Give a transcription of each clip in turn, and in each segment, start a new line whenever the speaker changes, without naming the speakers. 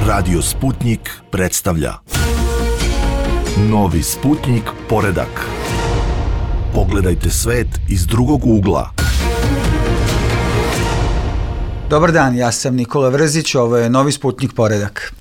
Radio Sputnik predstavlja Novi Sputnik poredak. Pogledajte svet iz drugog ugla.
Dobar dan, ja sam Nikola Vrzić, ovo je Novi Sputnik poredak.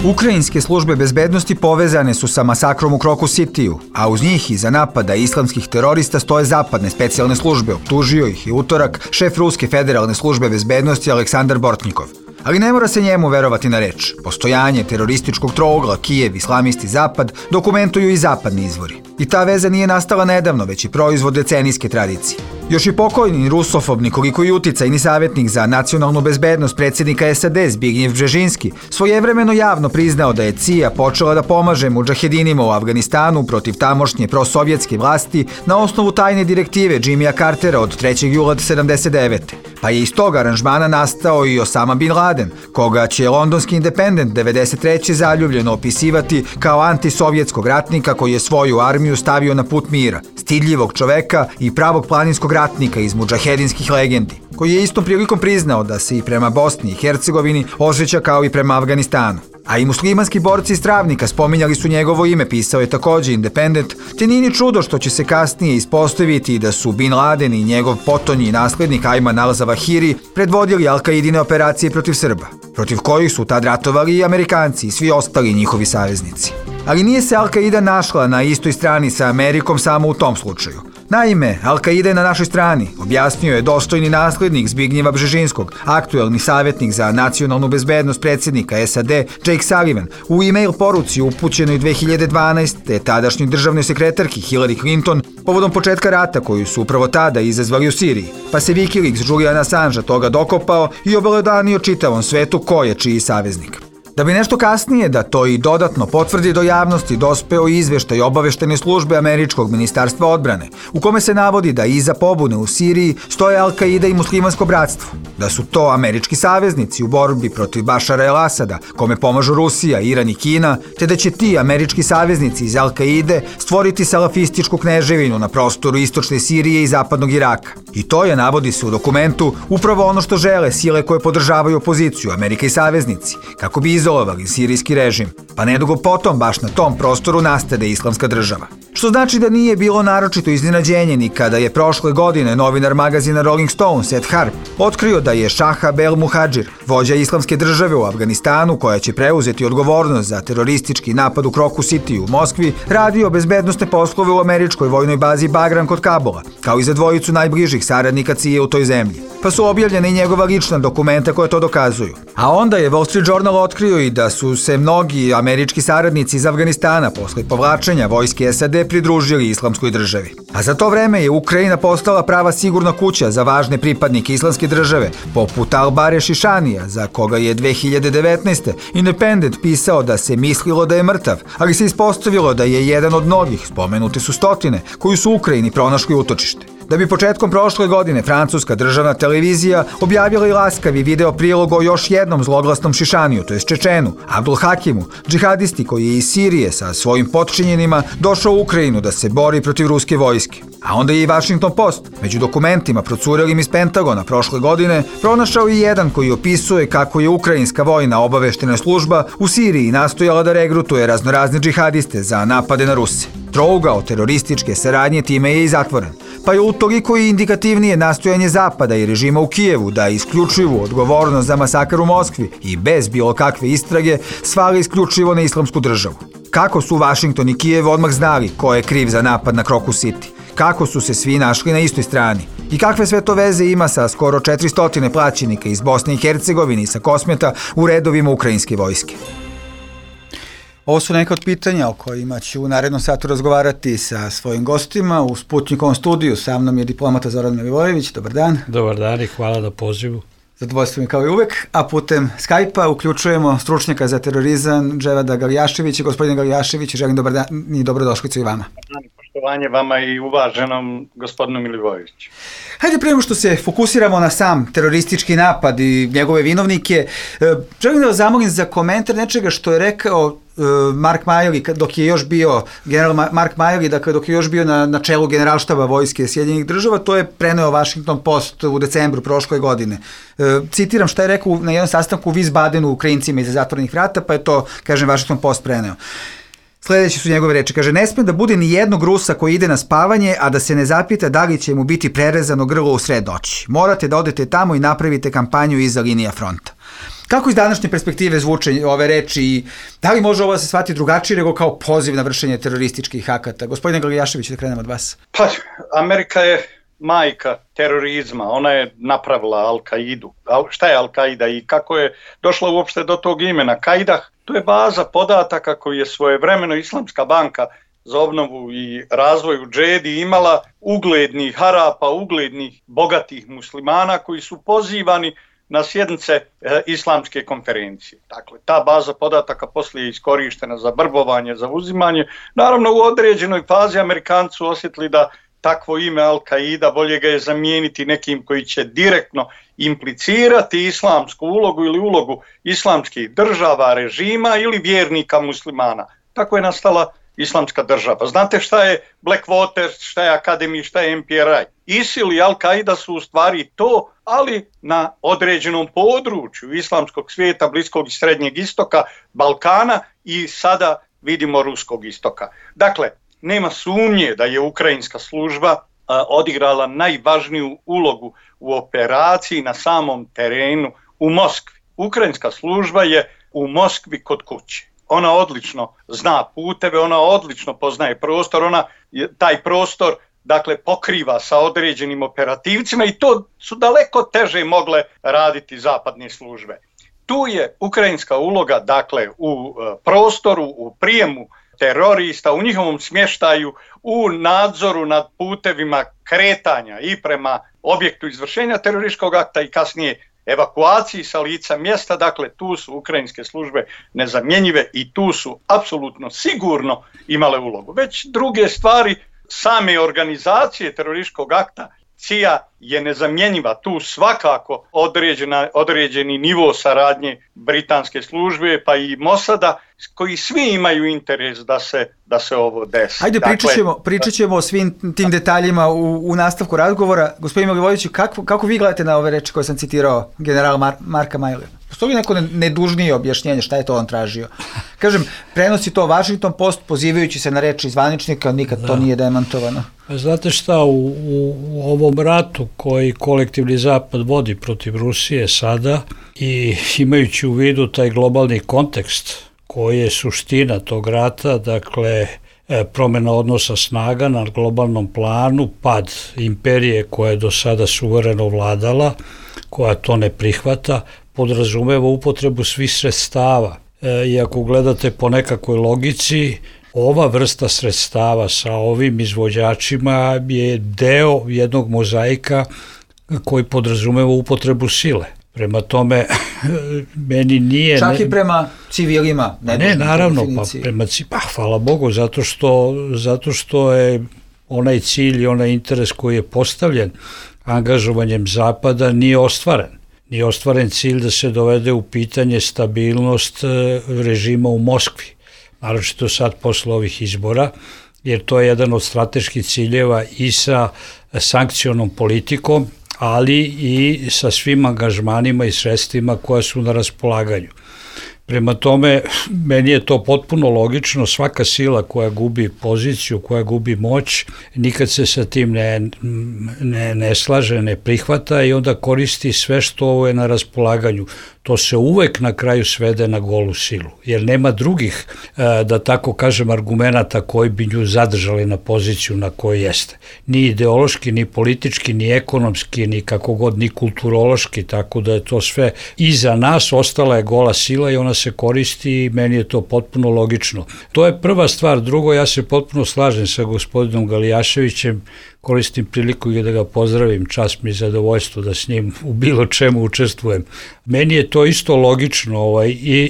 Ukrajinske službe bezbednosti povezane su sa masakrom u Kroku Citiju, a uz njih iza napada islamskih terorista stoje zapadne specijalne službe. Optužio ih je utorak šef Ruske federalne službe bezbednosti Aleksandar Bortnikov. Ali ne mora se njemu verovati na reč. Postojanje terorističkog trougla Kijev, islamisti, zapad dokumentuju i zapadni izvori. I ta veza nije nastala nedavno, već i proizvod decenijske tradicije. Još i pokojni rusofobni koliko i uticajni savjetnik za nacionalnu bezbednost predsjednika SAD Zbigniew Bžežinski svojevremeno javno priznao da je CIA počela da pomaže mudžahedinima u Afganistanu protiv tamošnje prosovjetske vlasti na osnovu tajne direktive Jimmya Cartera od 3. jula 1979. Pa je iz tog aranžmana nastao i Osama Bin Laden, koga će londonski Independent 93. zaljubljeno opisivati kao antisovjetskog ratnika koji je svoju armiju stavio na put mira, stidljivog čoveka i pravog planinskog ratnika iz mudžahedinskih legendi, koji je istom prilikom priznao da se i prema Bosni i Hercegovini osjeća kao i prema Afganistanu. A i muslimanski borci iz Travnika spominjali su njegovo ime, pisao je također Independent, te nije ni čudo što će se kasnije ispostaviti da su Bin Laden i njegov potonji naslednik Ayman al-Zawahiri predvodili Al-Kaidine operacije protiv Srba, protiv kojih su tad ratovali i Amerikanci i svi ostali njihovi saveznici. Ali nije se Al-Kaida našla na istoj strani sa Amerikom samo u tom slučaju. Naime, Al-Kaida je na našoj strani, objasnio je dostojni naslednik Zbigniewa Bžežinskog, aktuelni savjetnik za nacionalnu bezbednost predsjednika SAD Jake Sullivan, u e-mail poruci upućenoj 2012. tadašnjoj državnoj sekretarki Hillary Clinton povodom početka rata koju su upravo tada izazvali u Siriji, pa se Wikileaks Julian Assange toga dokopao i obelodanio čitavom svetu ko je čiji saveznik. Da bi nešto kasnije da to i dodatno potvrdi do javnosti, dospeo izveštaj obaveštene službe američkog ministarstva odbrane, u kome se navodi da iza pobune u Siriji stoje Al-Kaida i muslimansko bratstvo, da su to američki saveznici u borbi protiv Bašara el-Asada, kome pomažu Rusija, Iran i Kina, te da će ti američki saveznici iz Al-Kaide stvoriti salafističku kneževinu na prostoru istočne Sirije i zapadnog Iraka. I to je, navodi se u dokumentu, upravo ono što žele sile koje podržavaju opoziciju, Amerika i saveznici, kako bi izolovali sirijski režim, pa nedugo potom baš na tom prostoru nastade islamska država. Što znači da nije bilo naročito iznenađenje ni kada je prošle godine novinar magazina Rolling Stone Seth Harp otkrio da je Shahab el-Muhadžir, vođa islamske države u Afganistanu koja će preuzeti odgovornost za teroristički napad u Kroku Citiju u Moskvi, radio bezbednosne poslove u američkoj vojnoj bazi Bagram kod Kabula, kao i za dvojicu najbližih saradnika CIA u toj zemlji. Pa su objavljene i njegova lična dokumenta koje to dokazuju. A onda je Wall Street Journal otkrio i da su se mnogi američki saradnici iz Afganistana posle povlačenja vojske SAD pridružili islamskoj državi. A za to vreme je Ukrajina postala prava sigurna kuća za važne pripadnike islamske države, poput Al-Bare Šišanija, za koga je 2019. Independent pisao da se mislilo da je mrtav, ali se ispostavilo da je jedan od mnogih, spomenute su stotine, koji su u Ukrajini pronašli utočište. Da bi početkom prošle godine francuska državna televizija objavila i laskavi video prilog o još jednom zloglasnom Šišaniju, to je Čečenu, Abdul Hakimu, džihadisti koji je iz Sirije sa svojim potčinjenima došao u Ukrajinu da se bori protiv ruske vojske. A onda je i Washington Post, među dokumentima procurelim iz Pentagona prošle godine, pronašao i jedan koji opisuje kako je ukrajinska vojna obaveštena služba u Siriji nastojala da regrutuje raznorazne džihadiste za napade na Ruse. Trougao terorističke saradnje time je i zatvoren, pa je utoliko i indikativnije nastojanje Zapada i režima u Kijevu da isključivu odgovornost za masakar u Moskvi i bez bilo kakve istrage svali isključivo na islamsku državu. Kako su Washington i Kijev odmah znali ko je kriv za napad na Kroku City? Kako su se svi našli na istoj strani? I kakve sve to veze ima sa skoro 400 plaćenika iz Bosne i Hercegovine i sa Kosmeta u redovima ukrajinske vojske? Ovo su neka od pitanja o kojima ću u narednom satu razgovarati sa svojim gostima u Sputnikovom studiju. Sa mnom je diplomata Zoran Milivojević. Dobar dan.
Dobar dan i hvala na pozivu.
Zadovoljstvo mi kao i uvek. A putem Skype-a uključujemo stručnjaka za terorizam Dževada Galijaševića. Gospodine Galijašević, želim dobar dan i dobrodošlicu i vama.
Poštovanje vama i uvaženom gospodinu Milivojeviću.
Hajde prema što se fokusiramo na sam teroristički napad i njegove vinovnike, želim da vas zamolim za komentar nečega što je rekao Mark Miley dok je još bio general Mark Miley, dakle dok je još bio na čelu generalštaba vojske Sjedinjenih država, to je preneo Washington Post u decembru prošle godine. Citiram šta je rekao na jednom sastanku u Wiesbadenu Ukrajincima iza zatvorenih vrata, pa je to, kažem, Washington Post preneo. Sljedeći su njegove reči. Kaže, ne sme da bude ni jednog Rusa koji ide na spavanje, a da se ne zapita da li će mu biti prerezano grlo u sred noći. Morate da odete tamo i napravite kampanju iza linija fronta. Kako iz današnje perspektive zvuče ove reči i da li može ovo da se shvati drugačije nego kao poziv na vršenje terorističkih akata? Gospodine Galijašević, da krenemo od vas.
Pa, Amerika je majka terorizma, ona je napravila Al-Kaidu. Šta je Al-Kaida i kako je došla uopšte do tog imena? Kaidah, to je baza podataka koju je svojevremeno Islamska banka za obnovu i razvoj u Džedi imala uglednih Arapa, uglednih bogatih muslimana koji su pozivani na sjednice islamske konferencije. Dakle, ta baza podataka poslije je iskorištena za brbovanje, za uzimanje. Naravno, u određenoj fazi Amerikanci su osjetili da takvo ime Al-Kaida bolje ga je zamijeniti nekim koji će direktno implicirati islamsku ulogu ili ulogu islamskih država, režima ili vjernika muslimana. Tako je nastala islamska država. Znate šta je Blackwater, šta je Academy, šta je MPRI? ISIL i Al-Kaida su u stvari to, ali na određenom području islamskog svijeta, Bliskog i Srednjeg istoka, Balkana i sada vidimo Ruskog istoka. Dakle, nema sumnje da je ukrajinska služba odigrala najvažniju ulogu u operaciji na samom terenu u Moskvi. Ukrajinska služba je u Moskvi kod kuće. Ona odlično zna puteve, ona odlično poznaje prostor, ona taj prostor dakle pokriva sa određenim operativcima i to su daleko teže mogle raditi zapadne službe. Tu je ukrajinska uloga dakle u prostoru, u prijemu terorista, u njihovom smještaju, u nadzoru nad putevima kretanja i prema objektu izvršenja terorističkog akta i kasnije evakuaciji sa lica mjesta, dakle tu su ukrajinske službe nezamjenjive i tu su apsolutno sigurno imale ulogu. Već druge stvari, same organizacije terorističkog akta, CIA je nezamjenjiva, tu svakako određeni nivo saradnje britanske službe pa i Mossada koji svi imaju interes da se ovo desi.
Ajde, pričat ćemo o svim tim detaljima u nastavku razgovora. Gospodin Milivojević, kako vi gledate na ove reči koje sam citirao generala Marka Miley? Postoji neko nedužnije objašnjenje šta je to on tražio? Kažem, prenosi to Washington Post pozivajući se na reči zvaničnika, nikad to nije demantovano.
Znate šta, u ovom ratu koji kolektivni zapad vodi protiv Rusije sada i imajući u vidu taj globalni kontekst koji je suština tog rata, dakle promjena odnosa snaga na globalnom planu, pad imperije koja je do sada suvereno vladala, koja to ne prihvata, podrazumeva upotrebu svih sredstava. I ako gledate po nekakvoj logici, ova vrsta sredstava sa ovim izvođačima je deo jednog mozaika koji podrazumeva upotrebu sile. Prema tome, meni nije...
Čak i prema civilima?
Ne, naravno, hvala Bogu, zato što je onaj cilj i onaj interes koji je postavljen angažovanjem Zapada nije ostvaren. Nije ostvaren cilj da se dovede u pitanje stabilnost režima u Moskvi, naročito sad posle ovih izbora, jer to je jedan od strateških ciljeva i sa sankcionom politikom, ali i sa svim angažmanima i sredstvima koja su na raspolaganju. Prema tome, meni je to potpuno logično, svaka sila koja gubi poziciju, koja gubi moć, nikad se sa tim ne slaže, ne prihvata i onda koristi sve što je na raspolaganju. To se uvek na kraju svede na golu silu, jer nema drugih, da tako kažem, argumenata koji bi nju zadržali na poziciju na kojoj jeste. Ni ideološki, ni politički, ni ekonomski, ni kako god, ni kulturološki, tako da je to sve iza nas, ostala je gola sila i ona se koristi i meni je to potpuno logično. To je prva stvar. Drugo, ja se potpuno slažem sa gospodinom Galijaševićem, koristim priliku i da ga pozdravim, čast mi i zadovoljstvo da s njim u bilo čemu učestvujem. Meni je to isto logično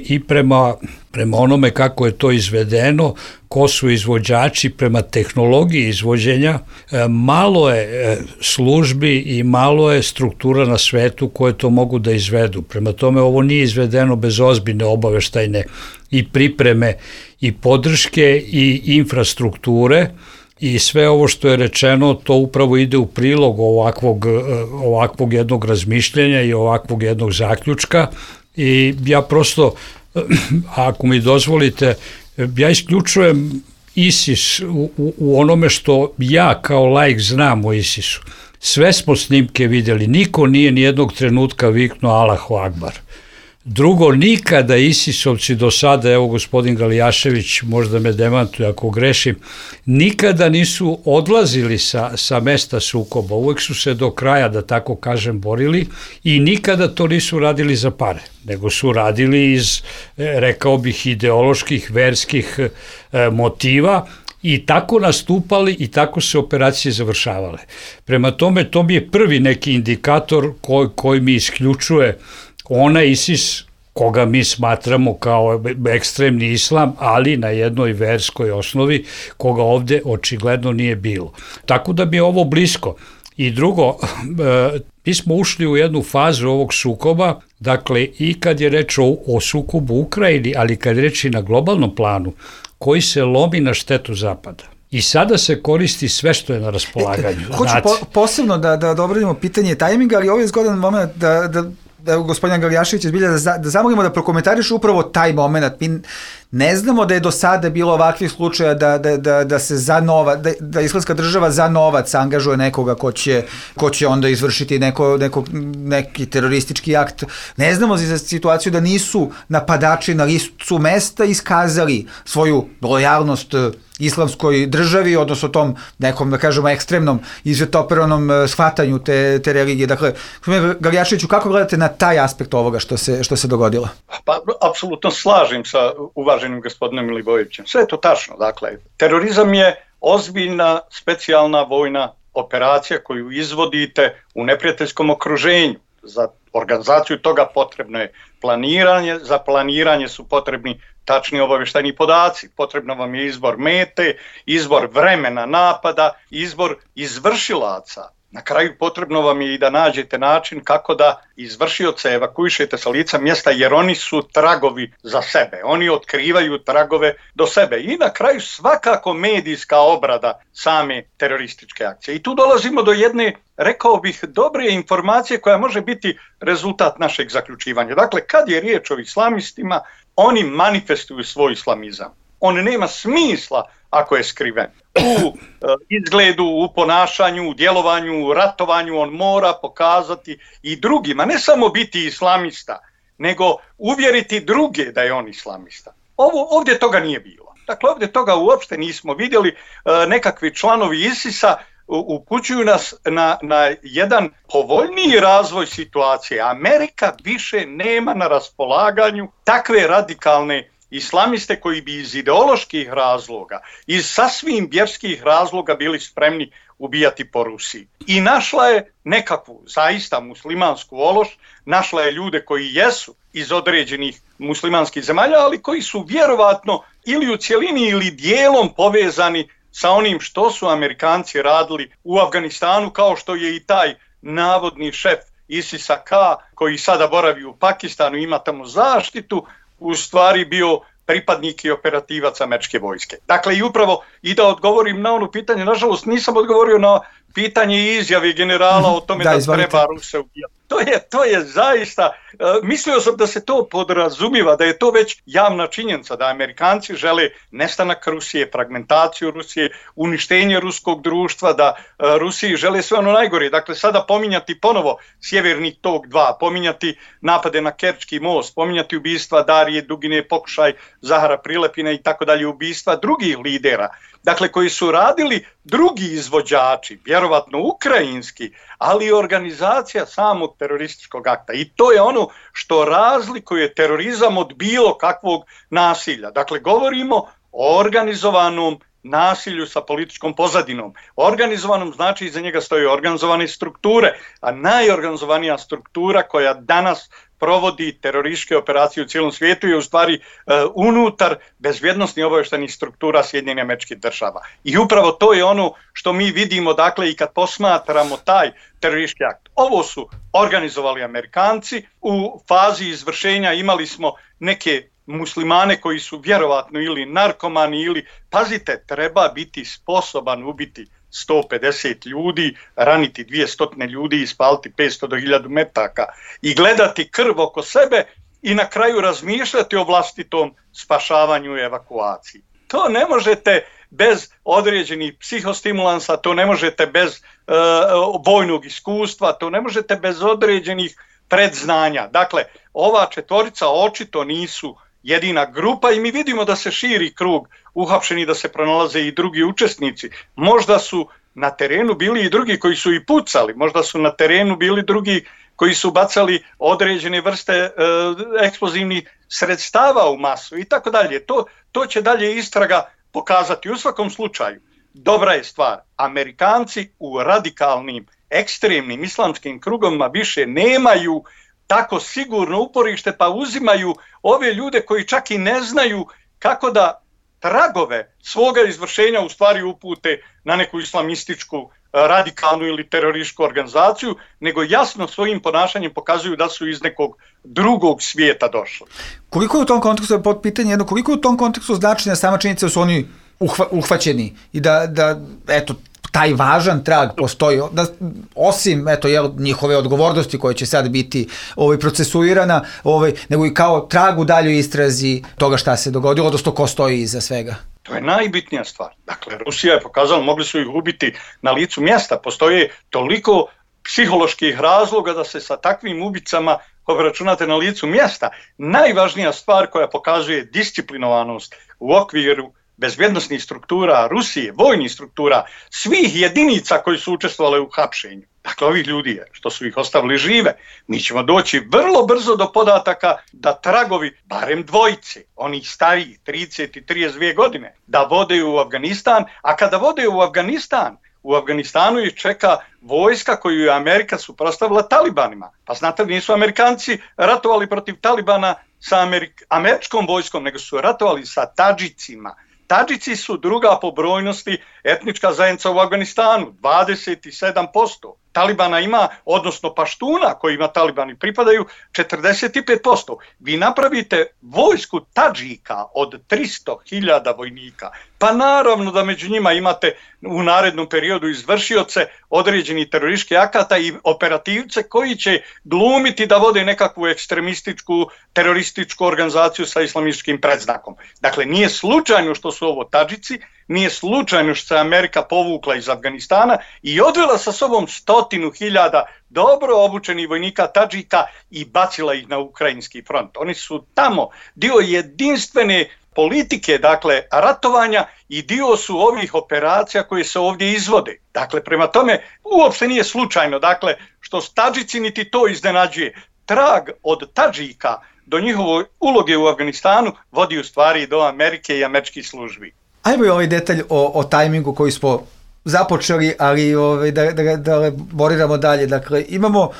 i prema onome kako je to izvedeno, ko su izvođači, prema tehnologiji izvođenja, malo je službi i malo je struktura na svetu koje to mogu da izvedu. Prema tome, ovo nije izvedeno bez ozbiljne obaveštajne i pripreme i podrške i infrastrukture, i sve ovo što je rečeno, to upravo ide u prilog ovakvog jednog razmišljenja i ovakvog jednog zaključka. I ja prosto, ako mi dozvolite, ja isključujem ISIS u onome što ja kao laik znam o ISIS-u. Sve smo snimke vidjeli, niko nije nijednog trenutka viknuo Allahu Akbar. Drugo, nikada ISIS-ovci do sada, evo gospodin Galijašević možda me demantuje ako grešim, nikada nisu odlazili sa mesta sukoba, uvek su se do kraja, da tako kažem, borili i nikada to nisu radili za pare, nego su radili iz, rekao bih, ideoloških, verskih motiva i tako nastupali i tako se operacije završavale. Prema tome, to mi je prvi neki indikator koji mi isključuje onaj ISIS koga mi smatramo kao ekstremni islam, ali na jednoj verskoj osnovi, koga ovde očigledno nije bilo. Tako da mi je ovo blisko. I drugo, mi smo ušli u jednu fazu ovog sukoba, dakle i kad je reč o sukobu u Ukrajini, ali kad je reč i na globalnom planu, koji se lomi na štetu Zapada. I sada se koristi sve što je na raspolaganju.
Hoću posebno da obradimo pitanje tajminga, ali ovo je zgodan moment da gospodina Galijaševića zbilja da zamolimo da prokomentariš upravo taj moment. Mi ne znamo da je do sada bilo ovakvih slučaja da se da Islamska država za novac angažuje nekoga ko će onda izvršiti neki teroristički akt. Ne znamo za situaciju da nisu napadači na licu mesta iskazali svoju lojalnost islamskoj državi, odnosno tom nekom, da kažemo, ekstremnom izvjetoperanom shvatanju te religije. Dakle, Galijaševiću, kako gledate na taj aspekt ovoga što se dogodilo?
Pa, apsolutno slažem sa uvaženim gospodinom Milivojevićem. Sve je to tačno. Dakle, terorizam je ozbiljna, specijalna vojna operacija koju izvodite u neprijateljskom okruženju. Za organizaciju toga potrebno je planiranje, za planiranje su potrebni tačni obavještajni podaci, potrebno vam je izbor mete, izbor vremena napada, izbor izvršilaca. Na kraju potrebno vam je i da nađete način kako da izvršioce evakuišete sa lica mjesta, jer oni su tragovi za sebe, oni otkrivaju tragove do sebe. I na kraju svakako medijska obrada same terorističke akcije. I tu dolazimo do jedne, rekao bih, dobre informacije koja može biti rezultat našeg zaključivanja. Dakle, kad je riječ o islamistima, oni manifestuju svoj islamizam. On nema smisla ako je skriven. U izgledu, u ponašanju, u djelovanju, u ratovanju on mora pokazati i drugima, ne samo biti islamista, nego uvjeriti druge da je on islamista. Ovdje toga nije bilo. Dakle, ovdje toga uopšte nismo vidjeli. Nekakvi članovi ISIS-a upućuju nas na jedan povoljniji razvoj situacije. Amerika više nema na raspolaganju takve radikalne islamiste koji bi iz ideoloških razloga, iz sasvim vjerskih razloga bili spremni ubijati po Rusiji. I našla je nekakvu zaista muslimansku ološ, našla je ljude koji jesu iz određenih muslimanskih zemalja, ali koji su vjerovatno ili u cjelini ili dijelom povezani sa onim što su Amerikanci radili u Afganistanu, kao što je i taj navodni šef ISIS-a K, koji sada boravi u Pakistanu, ima tamo zaštitu, u stvari bio pripadnik i operativac američke vojske. Dakle, i upravo i da odgovorim na ono pitanje, nažalost nisam odgovorio na pitanje i izjave generala o tome da treba Ruse ubijati. To je zaista, mislio sam da se to podrazumiva, da je to već javna činjenica, da Amerikanci žele nestanak Rusije, fragmentaciju Rusije, uništenje ruskog društva, da Rusiji žele sve ono najgore. Dakle, sada pominjati ponovo Sjeverni tok 2, pominjati napade na Kerčki most, pominjati ubistva Darije Dugine, pokušaj Zahara Prilepina i tako dalje, ubistva drugih lidera, dakle koji su radili drugi izvođači, vjerovatno ukrajinski, ali i organizacija samog terorističkog akta. I to je ono što razlikuje terorizam od bilo kakvog nasilja. Dakle, govorimo o organizovanom nasilju sa političkom pozadinom. Organizovanom znači iza njega stoje organizovane strukture, a najorganizovanija struktura koja danas provodi terorističke operacije u cijelom svijetu je u stvari unutar bezbjednosnih obavještajnih struktura Sjedinjenih Američkih Država. I upravo to je ono što mi vidimo, dakle, i kad posmatramo taj teroristički akt. Ovo su organizovali Amerikanci, u fazi izvršenja imali smo neke muslimane koji su vjerovatno ili narkomani ili, pazite, treba biti sposoban ubiti 150 ljudi, raniti 200 ljudi i spaliti 500 do 1000 metaka i gledati krv oko sebe i na kraju razmišljati o vlastitom spašavanju i evakuaciji. To ne možete bez određenih psihostimulansa, to ne možete bez vojnog iskustva, to ne možete bez određenih predznanja. Dakle, ova četvorica očito nisu jedina grupa i mi vidimo da se širi krug uhapšeni, da se pronalaze i drugi učesnici. Možda su na terenu bili i drugi koji su i pucali, možda su na terenu bili drugi koji su bacali određene vrste eksplozivnih sredstava u masu i tako dalje. To će dalje istraga pokazati. U svakom slučaju, dobra je stvar. Amerikanci u radikalnim, ekstremnim islamskim krugovima više nemaju tako sigurno uporište, pa uzimaju ove ljude koji čak i ne znaju kako da tragove svoga izvršenja u stvari upute na neku islamističku, radikalnu ili terorističku organizaciju, nego jasno svojim ponašanjem pokazuju da su iz nekog drugog svijeta došli.
Koliko je u tom kontekstu, pod pitanje jedno, koliko je u tom kontekstu značenja sama činjenica da su oni uhvaćeni i da eto, taj važan trag postoji, da, osim eto, njihove odgovornosti koje će sad biti procesuirana, nego i kao trag u daljoj istrazi toga šta se dogodilo, odnosno ko stoji iza svega.
To je najbitnija stvar. Dakle, Rusija je pokazala, mogli su ih ubiti na licu mjesta. Postoje toliko psiholoških razloga da se sa takvim ubicama obračunate na licu mjesta. Najvažnija stvar koja pokazuje disciplinovanost u okviru bezbjednosnih struktura Rusije, vojnih struktura, svih jedinica koji su učestvovali u hapšenju. Dakle, ovih ljudi je, što su ih ostavili žive. Mi ćemo doći vrlo brzo do podataka da tragovi, barem dvojice, oni stariji, 30 i 32 godine, da vode u Afganistan, a kada vode u Afganistanu ih čeka vojska koju je Amerika suprotstavila Talibanima. Pa znate li, nisu Amerikanci ratovali protiv Talibana sa američkom vojskom, nego su ratovali sa Tadžicima. Tadžici su druga po brojnosti etnička zajednica u Afganistanu, 27%. Talibana ima, odnosno Paštuna kojima Talibani pripadaju, 45%. Vi napravite vojsku Tadžika od 300.000 vojnika, pa naravno da među njima imate u narednom periodu izvršioce određenih terorističkih akata i operativce koji će glumiti da vode nekakvu ekstremističku, terorističku organizaciju sa islamističkim predznakom. Dakle, nije slučajno što su ovo Tadžici, nije slučajno što se Amerika povukla iz Afganistana i odvela sa sobom 100.000 dobro obučenih vojnika Tadžika i bacila ih na ukrajinski front. Oni su tamo dio jedinstvene politike, dakle, ratovanja i dio su ovih operacija koje se ovdje izvode. Dakle, prema tome, uopšte nije slučajno, dakle, što Tadžici niti to iznenađuje. Trag od Tadžika do njihove uloge u Afganistanu vodi u stvari do Amerike i američkih službi.
Ajmo i ovaj detalj o tajmingu koji smo započeli, ali da elaboriramo dalje. Dakle, imamo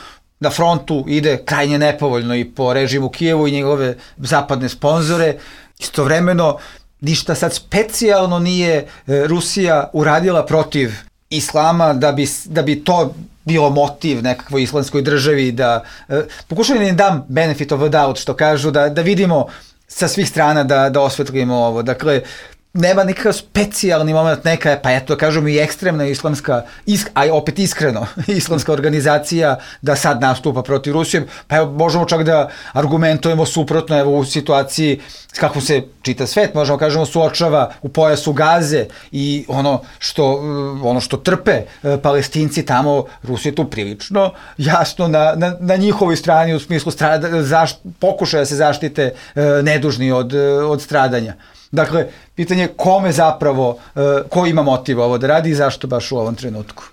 na frontu ide krajnje nepovoljno i po režimu Kijevu i njegove zapadne sponzore. Istovremeno, ništa sad specijalno nije Rusija uradila protiv islama da bi to bilo motiv nekakvoj islamskoj državi, da pokušaju da im dam benefit of the doubt, što kažu, da vidimo sa svih strana da osvetlimo ovo. Dakle, nema nekakav specijalni moment, neka, pa eto, kažemo i ekstremna islamska, a opet iskreno, islamska organizacija da sad nastupa protiv Rusije, pa evo, možemo čak da argumentujemo suprotno, evo, u situaciji kako se čita svet, možemo kažemo suočava u pojasu Gaze i ono što trpe Palestinci tamo, Rusija tu prilično jasno na njihovoj strani u smislu pokušaja da se zaštite nedužni od stradanja. Dakle, pitanje kome zapravo, ko ima motiv ovo da radi i zašto baš u ovom trenutku?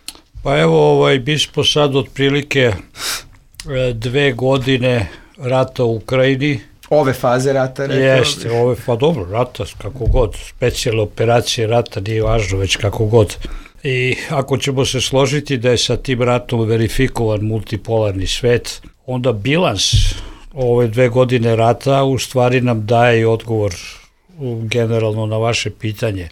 Pa evo, mi smo sad otprilike 2 godine rata u Ukrajini.
Ove faze rata, rekao.
Jeste, pa dobro, rata, kako god, specijalne operacije rata, nije važno, već kako god. I ako ćemo se složiti da je sa tim ratom verifikovan multipolarni svet, onda bilans ove 2 godine rata u stvari nam daje i odgovor generalno na vaše pitanje.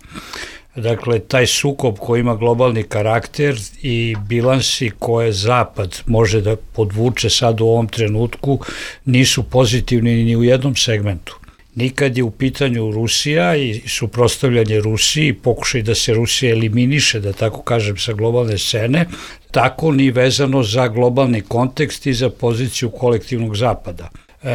Dakle, taj sukob koji ima globalni karakter i bilansi koje Zapad može da podvuče sad u ovom trenutku nisu pozitivni ni u jednom segmentu. Nikad je u pitanju Rusija i suprotstavljanje Rusiji, pokušaj da se Rusija eliminiše, da tako kažem, sa globalne scene, tako ni vezano za globalni kontekst i za poziciju kolektivnog Zapada.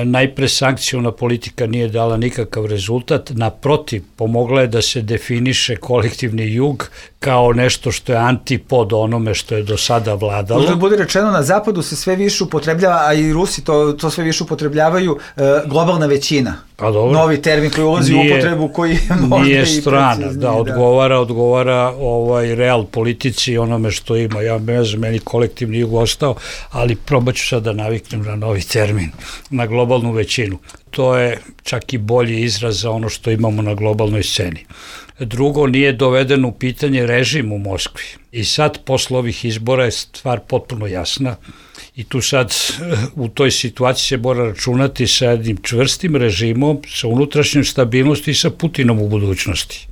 Najpre sankcijona politika nije dala nikakav rezultat, naprotiv, pomogla je da se definiše kolektivni jug kao nešto što je antipod onome što je do sada vladalo.
Možda bude rečeno, na Zapadu se sve više upotrebljava, a i Rusi to sve više upotrebljavaju, globalna većina.
Pa dobro.
Novi termin koji ulazi u upotrebu koji možda
nije
i
strana, da odgovara real politici onome što ima. Ja ne znam, meni kolektivni jug ostao, ali probat ću sad da naviknem na novi termin, na globalnu većinu. To je čak i bolji izraz za ono što imamo na globalnoj sceni. Drugo, nije doveden u pitanje režim u Moskvi. I sad, posle ovih izbora, je stvar potpuno jasna. I tu sad, u toj situaciji se mora računati sa jednim čvrstim režimom, sa unutrašnjom stabilnosti i sa Putinom u budućnosti.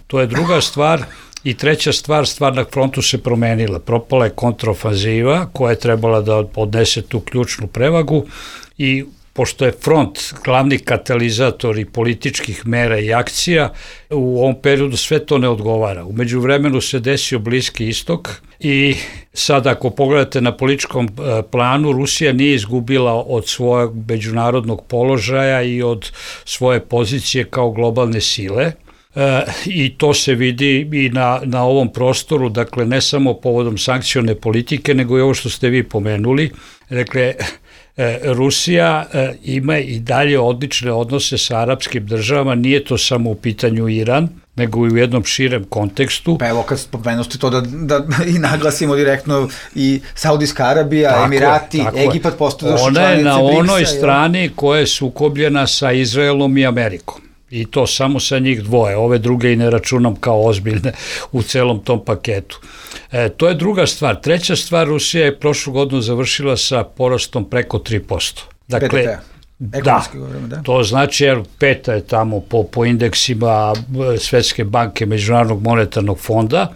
To je druga stvar. I treća stvar na frontu se promenila. Propala je kontraofanziva koja je trebala da podnese tu ključnu prevagu i pošto je front glavni katalizator i političkih mera i akcija, u ovom periodu sve to ne odgovara. U međuvremenu se desio Bliski istok i sad ako pogledate na političkom planu, Rusija nije izgubila od svojeg međunarodnog položaja i od svoje pozicije kao globalne sile. I to se vidi i na ovom prostoru, dakle ne samo povodom sankcione politike, nego i ovo što ste vi pomenuli. Dakle, Rusija ima i dalje odlične odnose sa arapskim državama, nije to samo u pitanju Iran, nego i u jednom širem kontekstu.
Pa evo kad spomenuste to da i naglasimo direktno i Saudijska Arabija, Emirati, Egipat postoje došli članice BRICS-a.
Ona je na onoj strani koja je sukobljena sa Izraelom i Amerikom. I to samo sa njih dvoje, ove druge i ne računam kao ozbiljne u celom tom paketu. To je druga stvar. Treća stvar, Rusija je prošlu godinu završila sa porastom preko 3%. Dakle, da, to znači jer peta je tamo po indeksima Svetske banke, Međunarodnog monetarnog fonda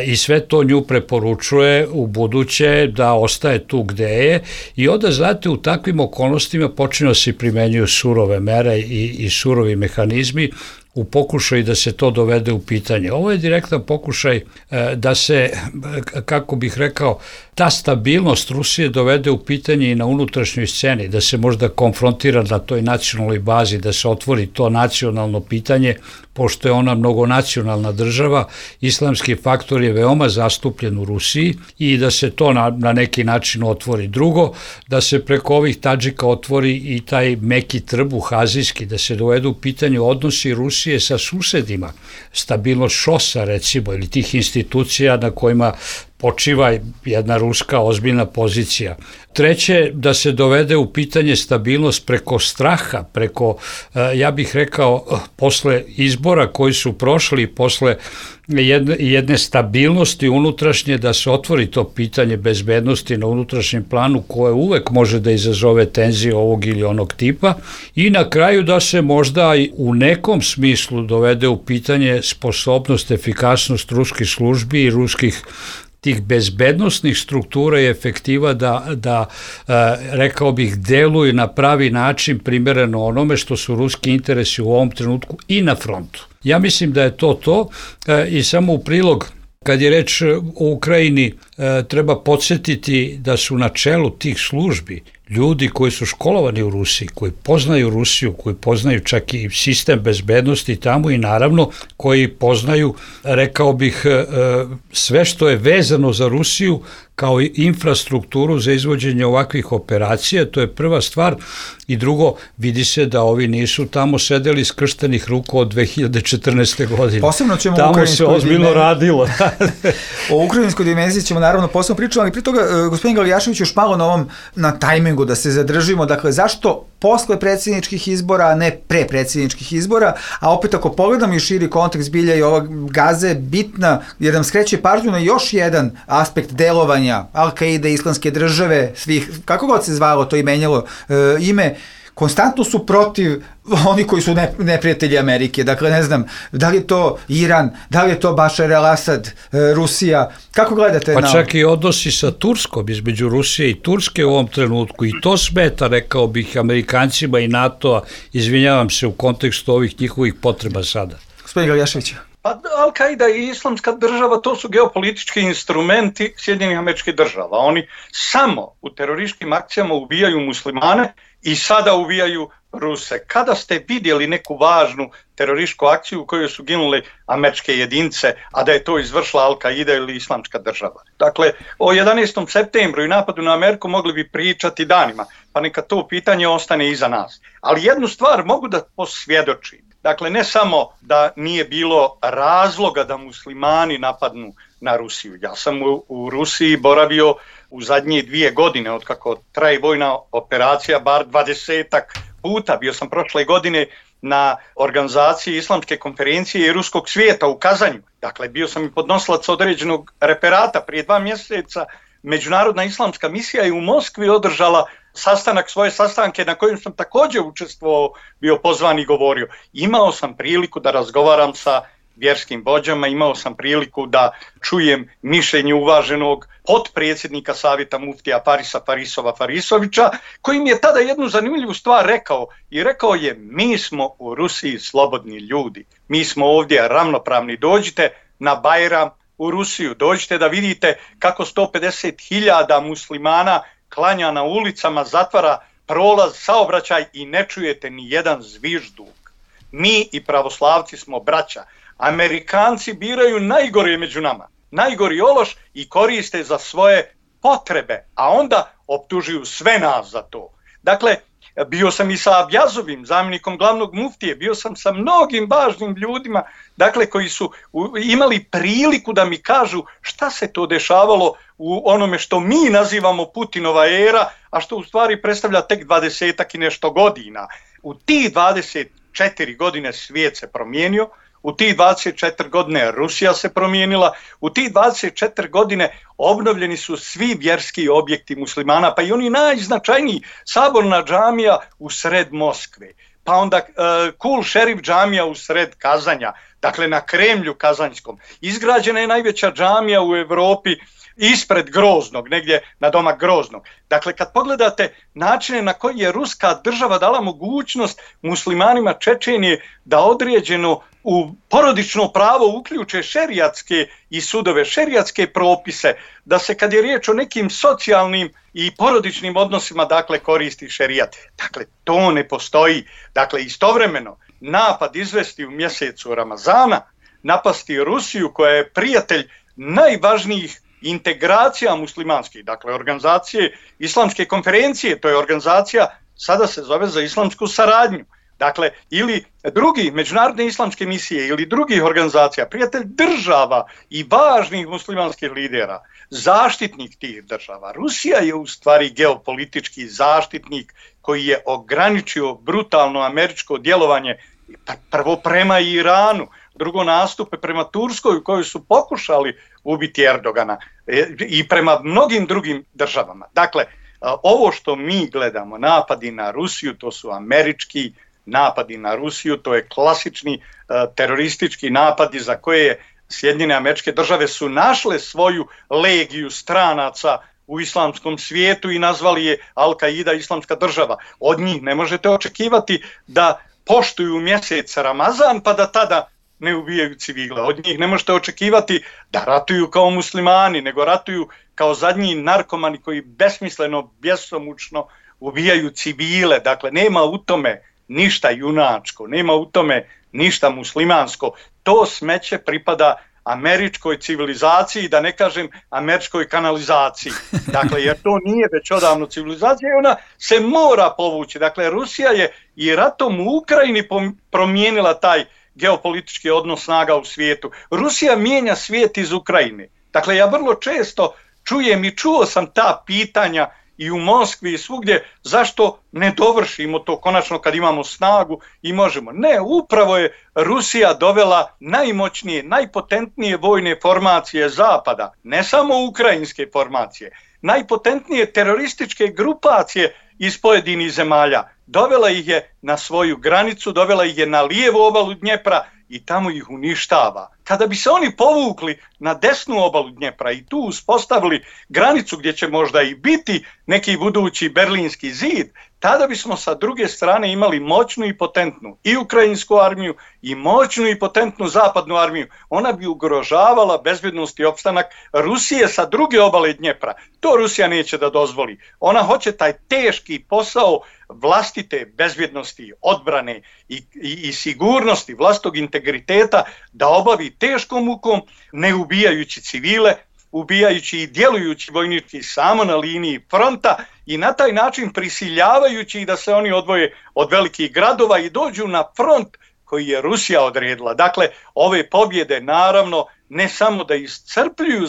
i sve to nju preporučuje u buduće da ostaje tu gde je i onda, znate, u takvim okolnostima počinju se primenjuju surove mere i surovi mehanizmi u pokušaju da se to dovede u pitanje. Ovo je direktan pokušaj da se, kako bih rekao, ta stabilnost Rusije dovede u pitanje i na unutrašnjoj sceni, da se možda konfrontira na toj nacionalnoj bazi, da se otvori to nacionalno pitanje, pošto je ona mnogonacionalna država, islamski faktor je veoma zastupljen u Rusiji i da se to na neki način otvori. Drugo, da se preko ovih Tadžika otvori i taj meki trbuh azijski, da se dovedu u pitanje odnosi Rusije sa susedima, stabilnost ŠOS-a recimo ili tih institucija na kojima počiva jedna ruska ozbiljna pozicija. Treće, da se dovede u pitanje stabilnost preko straha, preko, ja bih rekao, posle izbora koji su prošli, posle jedne stabilnosti unutrašnje, da se otvori to pitanje bezbednosti na unutrašnjem planu koje uvek može da izazove tenzije ovog ili onog tipa i na kraju da se možda i u nekom smislu dovede u pitanje sposobnost, efikasnost ruskih službi i ruskih tih bezbednostnih struktura i efektiva da rekao bih, deluju na pravi način primereno onome što su ruski interesi u ovom trenutku i na frontu. Ja mislim da je to i samo u prilog, kad je reč o Ukrajini, treba podsjetiti da su na čelu tih službi ljudi koji su školovani u Rusiji, koji poznaju Rusiju, koji poznaju čak i sistem bezbednosti tamo i naravno koji poznaju, rekao bih, sve što je vezano za Rusiju kao infrastrukturu za izvođenje ovakvih operacija, to je prva stvar. I drugo, vidi se da ovi nisu tamo sedeli skrštenih ruku od 2014. godine.
Posebno ćemo
tamo se ozbiljno radilo.
O ukrajinskoj dimenziji ćemo naravno posebno pričati, ali prije toga, gospodin Galijašević, još malo na tajmingu da se zadržimo. Dakle, zašto posle predsjedničkih izbora, a ne pre predsjedničkih izbora, a opet ako pogledam i širi kontekst bilja i ova Gaza je bitna jer nam skreće pažnju na još jedan aspekt delovanja Al-Kaide, Islamske države, svih, kako god se zvalo to i menjalo ime, konstantno su protiv oni koji su neprijatelji Amerike. Dakle, ne znam, da li je to Iran, da li je to Bašar el-Asad, Rusija, kako gledate na...
Pa čak i odnosi sa Turskom, između Rusije i Turske u ovom trenutku, i to smeta, rekao bih, Amerikancima i NATO-a, izvinjavam se, u kontekstu ovih njihovih potreba sada.
Gospodin Galjašević.
Pa Al-Kaida i Islamska država to su geopolitički instrumenti Sjedinjenih Američkih Država. Oni samo u terorističkim akcijama ubijaju muslimane i sada ubijaju Ruse. Kada ste vidjeli neku važnu terorističku akciju u kojoj su ginule američke jedinice, a da je to izvršila Al-Kaida ili Islamska država? Dakle, o 11. septembru i napadu na Ameriku mogli bi pričati danima, pa neka to pitanje ostane iza nas. Ali jednu stvar mogu da posvjedočim. Dakle, ne samo da nije bilo razloga da muslimani napadnu na Rusiju. Ja sam u Rusiji boravio u zadnje 2 godine, otkako traje vojna operacija, bar 20-ak puta. Bio sam prošle godine na organizaciji Islamske konferencije i ruskog svijeta u Kazanju. Dakle, bio sam i podnosilac određenog referata. Prije 2 mjeseca Međunarodna islamska misija je u Moskvi održala svoje sastanke na kojim sam također učestvovao, bio pozvan i govorio. Imao sam priliku da razgovaram sa vjerskim vođama, imao sam priliku da čujem mišljenje uvaženog potpredsjednika savjeta muftija Farisa Farisova Farisovića, koji mi je tada jednu zanimljivu stvar rekao. I rekao je, mi smo u Rusiji slobodni ljudi, mi smo ovdje ravnopravni, dođite na Bajram u Rusiju, dođite da vidite kako 150.000 muslimana klanja na ulicama, zatvara prolaz, saobraćaj i ne čujete ni jedan zvižduk. Mi i pravoslavci smo braća. Amerikanci biraju najgore među nama, najgori ološ i koriste za svoje potrebe, a onda optužuju sve nas za to. Dakle, bio sam i sa Abjazovim, zamjenikom glavnog muftije, bio sam sa mnogim važnim ljudima, dakle, koji su imali priliku da mi kažu šta se to dešavalo u onome što mi nazivamo Putinova era, a što u stvari predstavlja tek 20-ak i nešto godina. U tih 24 godine svijet se promijenio, u tih 24 godine Rusija se promijenila, u tih 24 godine obnovljeni su svi vjerski objekti muslimana, pa i oni najznačajniji, saborna džamija u sred Moskve, pa onda Kul Šerif džamija u sred Kazanja, dakle na Kremlju Kazanjskom. Izgrađena je najveća džamija u Europi ispred Groznog, negdje na domak Groznog. Dakle, kad pogledate načine na koji je ruska država dala mogućnost muslimanima Čečenije da određeno u porodično pravo uključe šerijatske i sudove, šerijatske propise, da se kad je riječ o nekim socijalnim i porodičnim odnosima, dakle, koristi šerijat. Dakle, to ne postoji. Dakle, istovremeno napad izvesti u mjesecu Ramazana, napasti Rusiju koja je prijatelj najvažnijih integracija muslimanskih, dakle organizacije Islamske konferencije, to je organizacija, sada se zove za islamsku saradnju, dakle ili drugi međunarodne islamske misije ili drugih organizacija, prijatelj država i važnih muslimanskih lidera, zaštitnik tih država. Rusija je u stvari geopolitički zaštitnik koji je ograničio brutalno američko djelovanje prvo prema Iranu, drugo nastupe prema Turskoj u kojoj su pokušali ubiti Erdogana i prema mnogim drugim državama. Dakle, ovo što mi gledamo, napadi na Rusiju, to su američki napadi na Rusiju, to je klasični teroristički napadi za koje Sjedinjene Američke Države su našle svoju legiju stranaca u islamskom svijetu i nazvali je Al-Kaida Islamska država. Od njih ne možete očekivati da poštuju mjesec Ramazan pa da tada ne ubijaju civile. Od njih ne možete očekivati da ratuju kao muslimani, nego ratuju kao zadnji narkomani koji besmisleno, bjesomučno ubijaju civile. Dakle, nema u tome ništa junačko, nema u tome ništa muslimansko. To smeće pripada američkoj civilizaciji, da ne kažem američkoj kanalizaciji. Dakle, jer to nije već odavno civilizacija i ona se mora povući. Dakle, Rusija je i ratom u Ukrajini promijenila taj geopolitički odnos snaga u svijetu. Rusija mijenja svijet iz Ukrajine. Dakle, ja vrlo često čujem i čuo sam ta pitanja i u Moskvi i svugdje, zašto ne dovršimo to konačno kad imamo snagu i možemo. Ne, upravo je Rusija dovela najmoćnije, najpotentnije vojne formacije Zapada, ne samo ukrajinske formacije, najpotentnije terorističke grupacije iz pojedinih zemalja. Dovela ih je na svoju granicu, dovela ih je na lijevu obalu Dnjepra i tamo ih uništava. Kada bi se oni povukli na desnu obalu Dnjepra i tu uspostavili granicu gdje će možda i biti neki budući Berlinski zid, tada bismo sa druge strane imali moćnu i potentnu i ukrajinsku armiju i moćnu i potentnu zapadnu armiju. Ona bi ugrožavala bezbjednost i opstanak Rusije sa druge obale Dnjepra. To Rusija neće da dozvoli. Ona hoće taj teški posao vlastite bezbjednosti, odbrane i sigurnosti, vlastog integriteta da obavi teškom mukom, ne ubijajući civile, ubijajući i djelujući vojnički samo na liniji fronta i na taj način prisiljavajući da se oni odvoje od velikih gradova i dođu na front koji je Rusija odredila. Dakle, ove pobjede naravno ne samo da iscrpljuju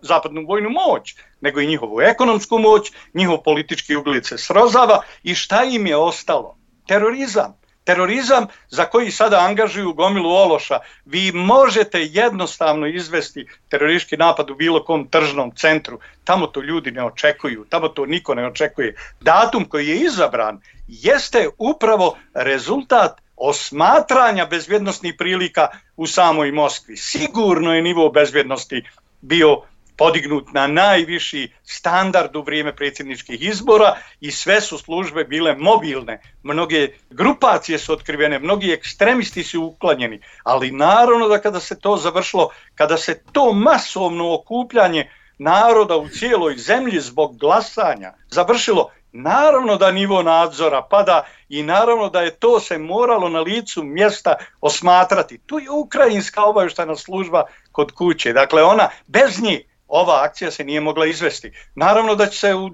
zapadnu vojnu moć, nego i njihovu ekonomsku moć, njihov politički ugled se srozava i šta im je ostalo? Terorizam. Terorizam za koji sada angažuju gomilu ološa. Vi možete jednostavno izvesti teroristički napad u bilo kom tržnom centru. Tamo to ljudi ne očekuju, tamo to niko ne očekuje. Datum koji je izabran jeste upravo rezultat osmatranja bezbjednosnih prilika u samoj Moskvi. Sigurno je nivo bezbjednosti bio podignut na najviši standard u vrijeme predsjedničkih izbora i sve su službe bile mobilne. Mnoge grupacije su otkrivene, mnogi ekstremisti su uklanjeni, ali naravno da kada se to završilo, kada se to masovno okupljanje naroda u cijeloj zemlji zbog glasanja završilo, naravno da nivo nadzora pada i naravno da je to se moralo na licu mjesta osmatrati. Tu je ukrajinska obavještajna služba kod kuće, dakle ona bez nje ova akcija se nije mogla izvesti. Naravno da će se u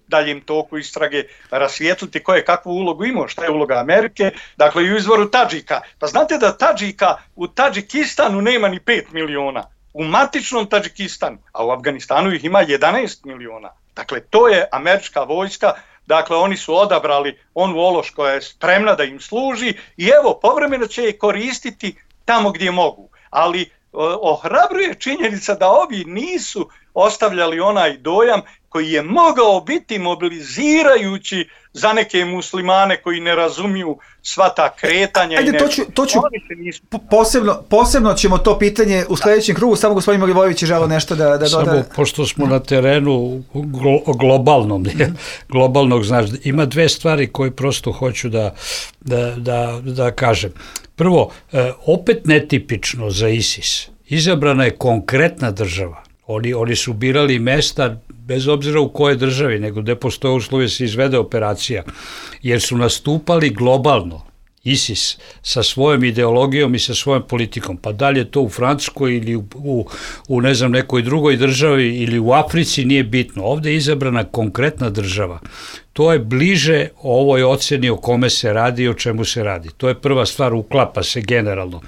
daljem toku istrage rasvijetliti ko je kakvu ulogu imao, šta je uloga Amerike, dakle i u izvoru Tadžika. Pa znate da Tadžika u Tadžikistanu nema ni 5 miliona, u matičnom Tadžikistanu, a u Afganistanu ih ima 11 miliona. Dakle, to je američka vojska, dakle oni su odabrali onu ološ koja je spremna da im služi i evo, povremeno će je koristiti tamo gdje mogu, ali ohrabruje činjenica da ovi nisu ostavljali onaj dojam koji je mogao biti mobilizirajući za neke muslimane koji ne razumiju sva ta kretanja.
Ajde, to ću posebno ćemo to pitanje u sljedećem krugu, samo gospodin Milivojević je želeo nešto da doda.
Samo pošto smo na terenu globalnog, znaš, ima dve stvari koje prosto hoću da kažem. Prvo, opet netipično za ISIS, izabrana je konkretna država. Oni su birali mesta bez obzira u kojoj državi, nego gde postoje uslovi se izvede operacija, jer su nastupali globalno. ISIS sa svojom ideologijom i sa svojom politikom, pa da li je to u Francuskoj ili u ne znam nekoj drugoj državi ili u Africi, nije bitno. Ovdje je izabrana konkretna država. To je bliže ovoj ocjeni o kome se radi i o čemu se radi. To je prva stvar, uklapa se generalno.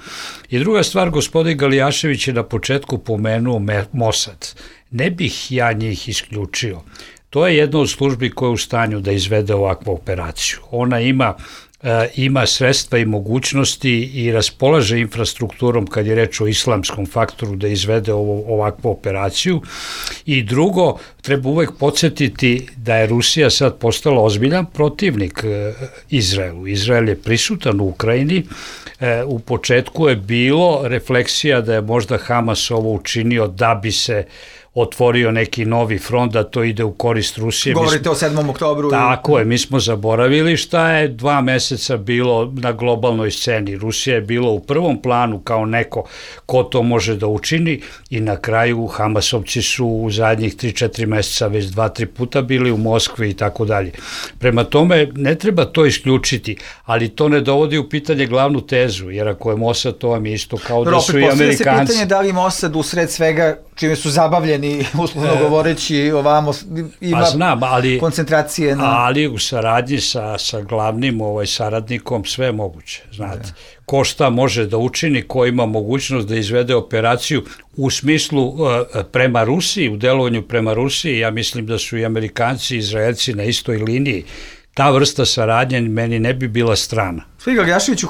I druga stvar, gospodin Galijašević je na početku pomenuo Mossad. Ne bih ja njih isključio. To je jedna od službi koja je u stanju da izvede ovakvu operaciju. Ona ima sredstva i mogućnosti i raspolaže infrastrukturom kad je reč o islamskom faktoru da izvede ovakvu operaciju. I drugo, treba uvek podsjetiti da je Rusija sad postala ozbiljan protivnik Izraelu. Izrael je prisutan u Ukrajini. U početku je bilo refleksija da je možda Hamas ovo učinio da bi se otvorio neki novi front, da to ide u korist Rusije.
Govorite o 7. oktobru.
Tako je, mi smo zaboravili šta je 2 meseca bilo na globalnoj sceni. Rusija je bila u prvom planu kao neko ko to može da učini i na kraju Hamasovci su u zadnjih 3-4 meseca već 2-3 puta bili u Moskvi i tako dalje. Prema tome, ne treba to isključiti, ali to ne dovodi u pitanje glavnu tezu, jer ako je Mossad, to vam je isto kao da su i Amerikanci.
Se pitanje da li Mossad usred svega čime su zabavljeni Jemeni, uslovno govoreći, ovamo ima koncentracije na...
Ali u saradnji sa glavnim saradnikom sve je moguće, znate. Ko šta može da učini, ko ima mogućnost da izvede operaciju u smislu prema Rusiji, u delovanju prema Rusiji, ja mislim da su i Amerikanci i Izraelci na istoj liniji. Ta vrsta saradnje meni ne bi bila strana.
Sviga Gaševiću,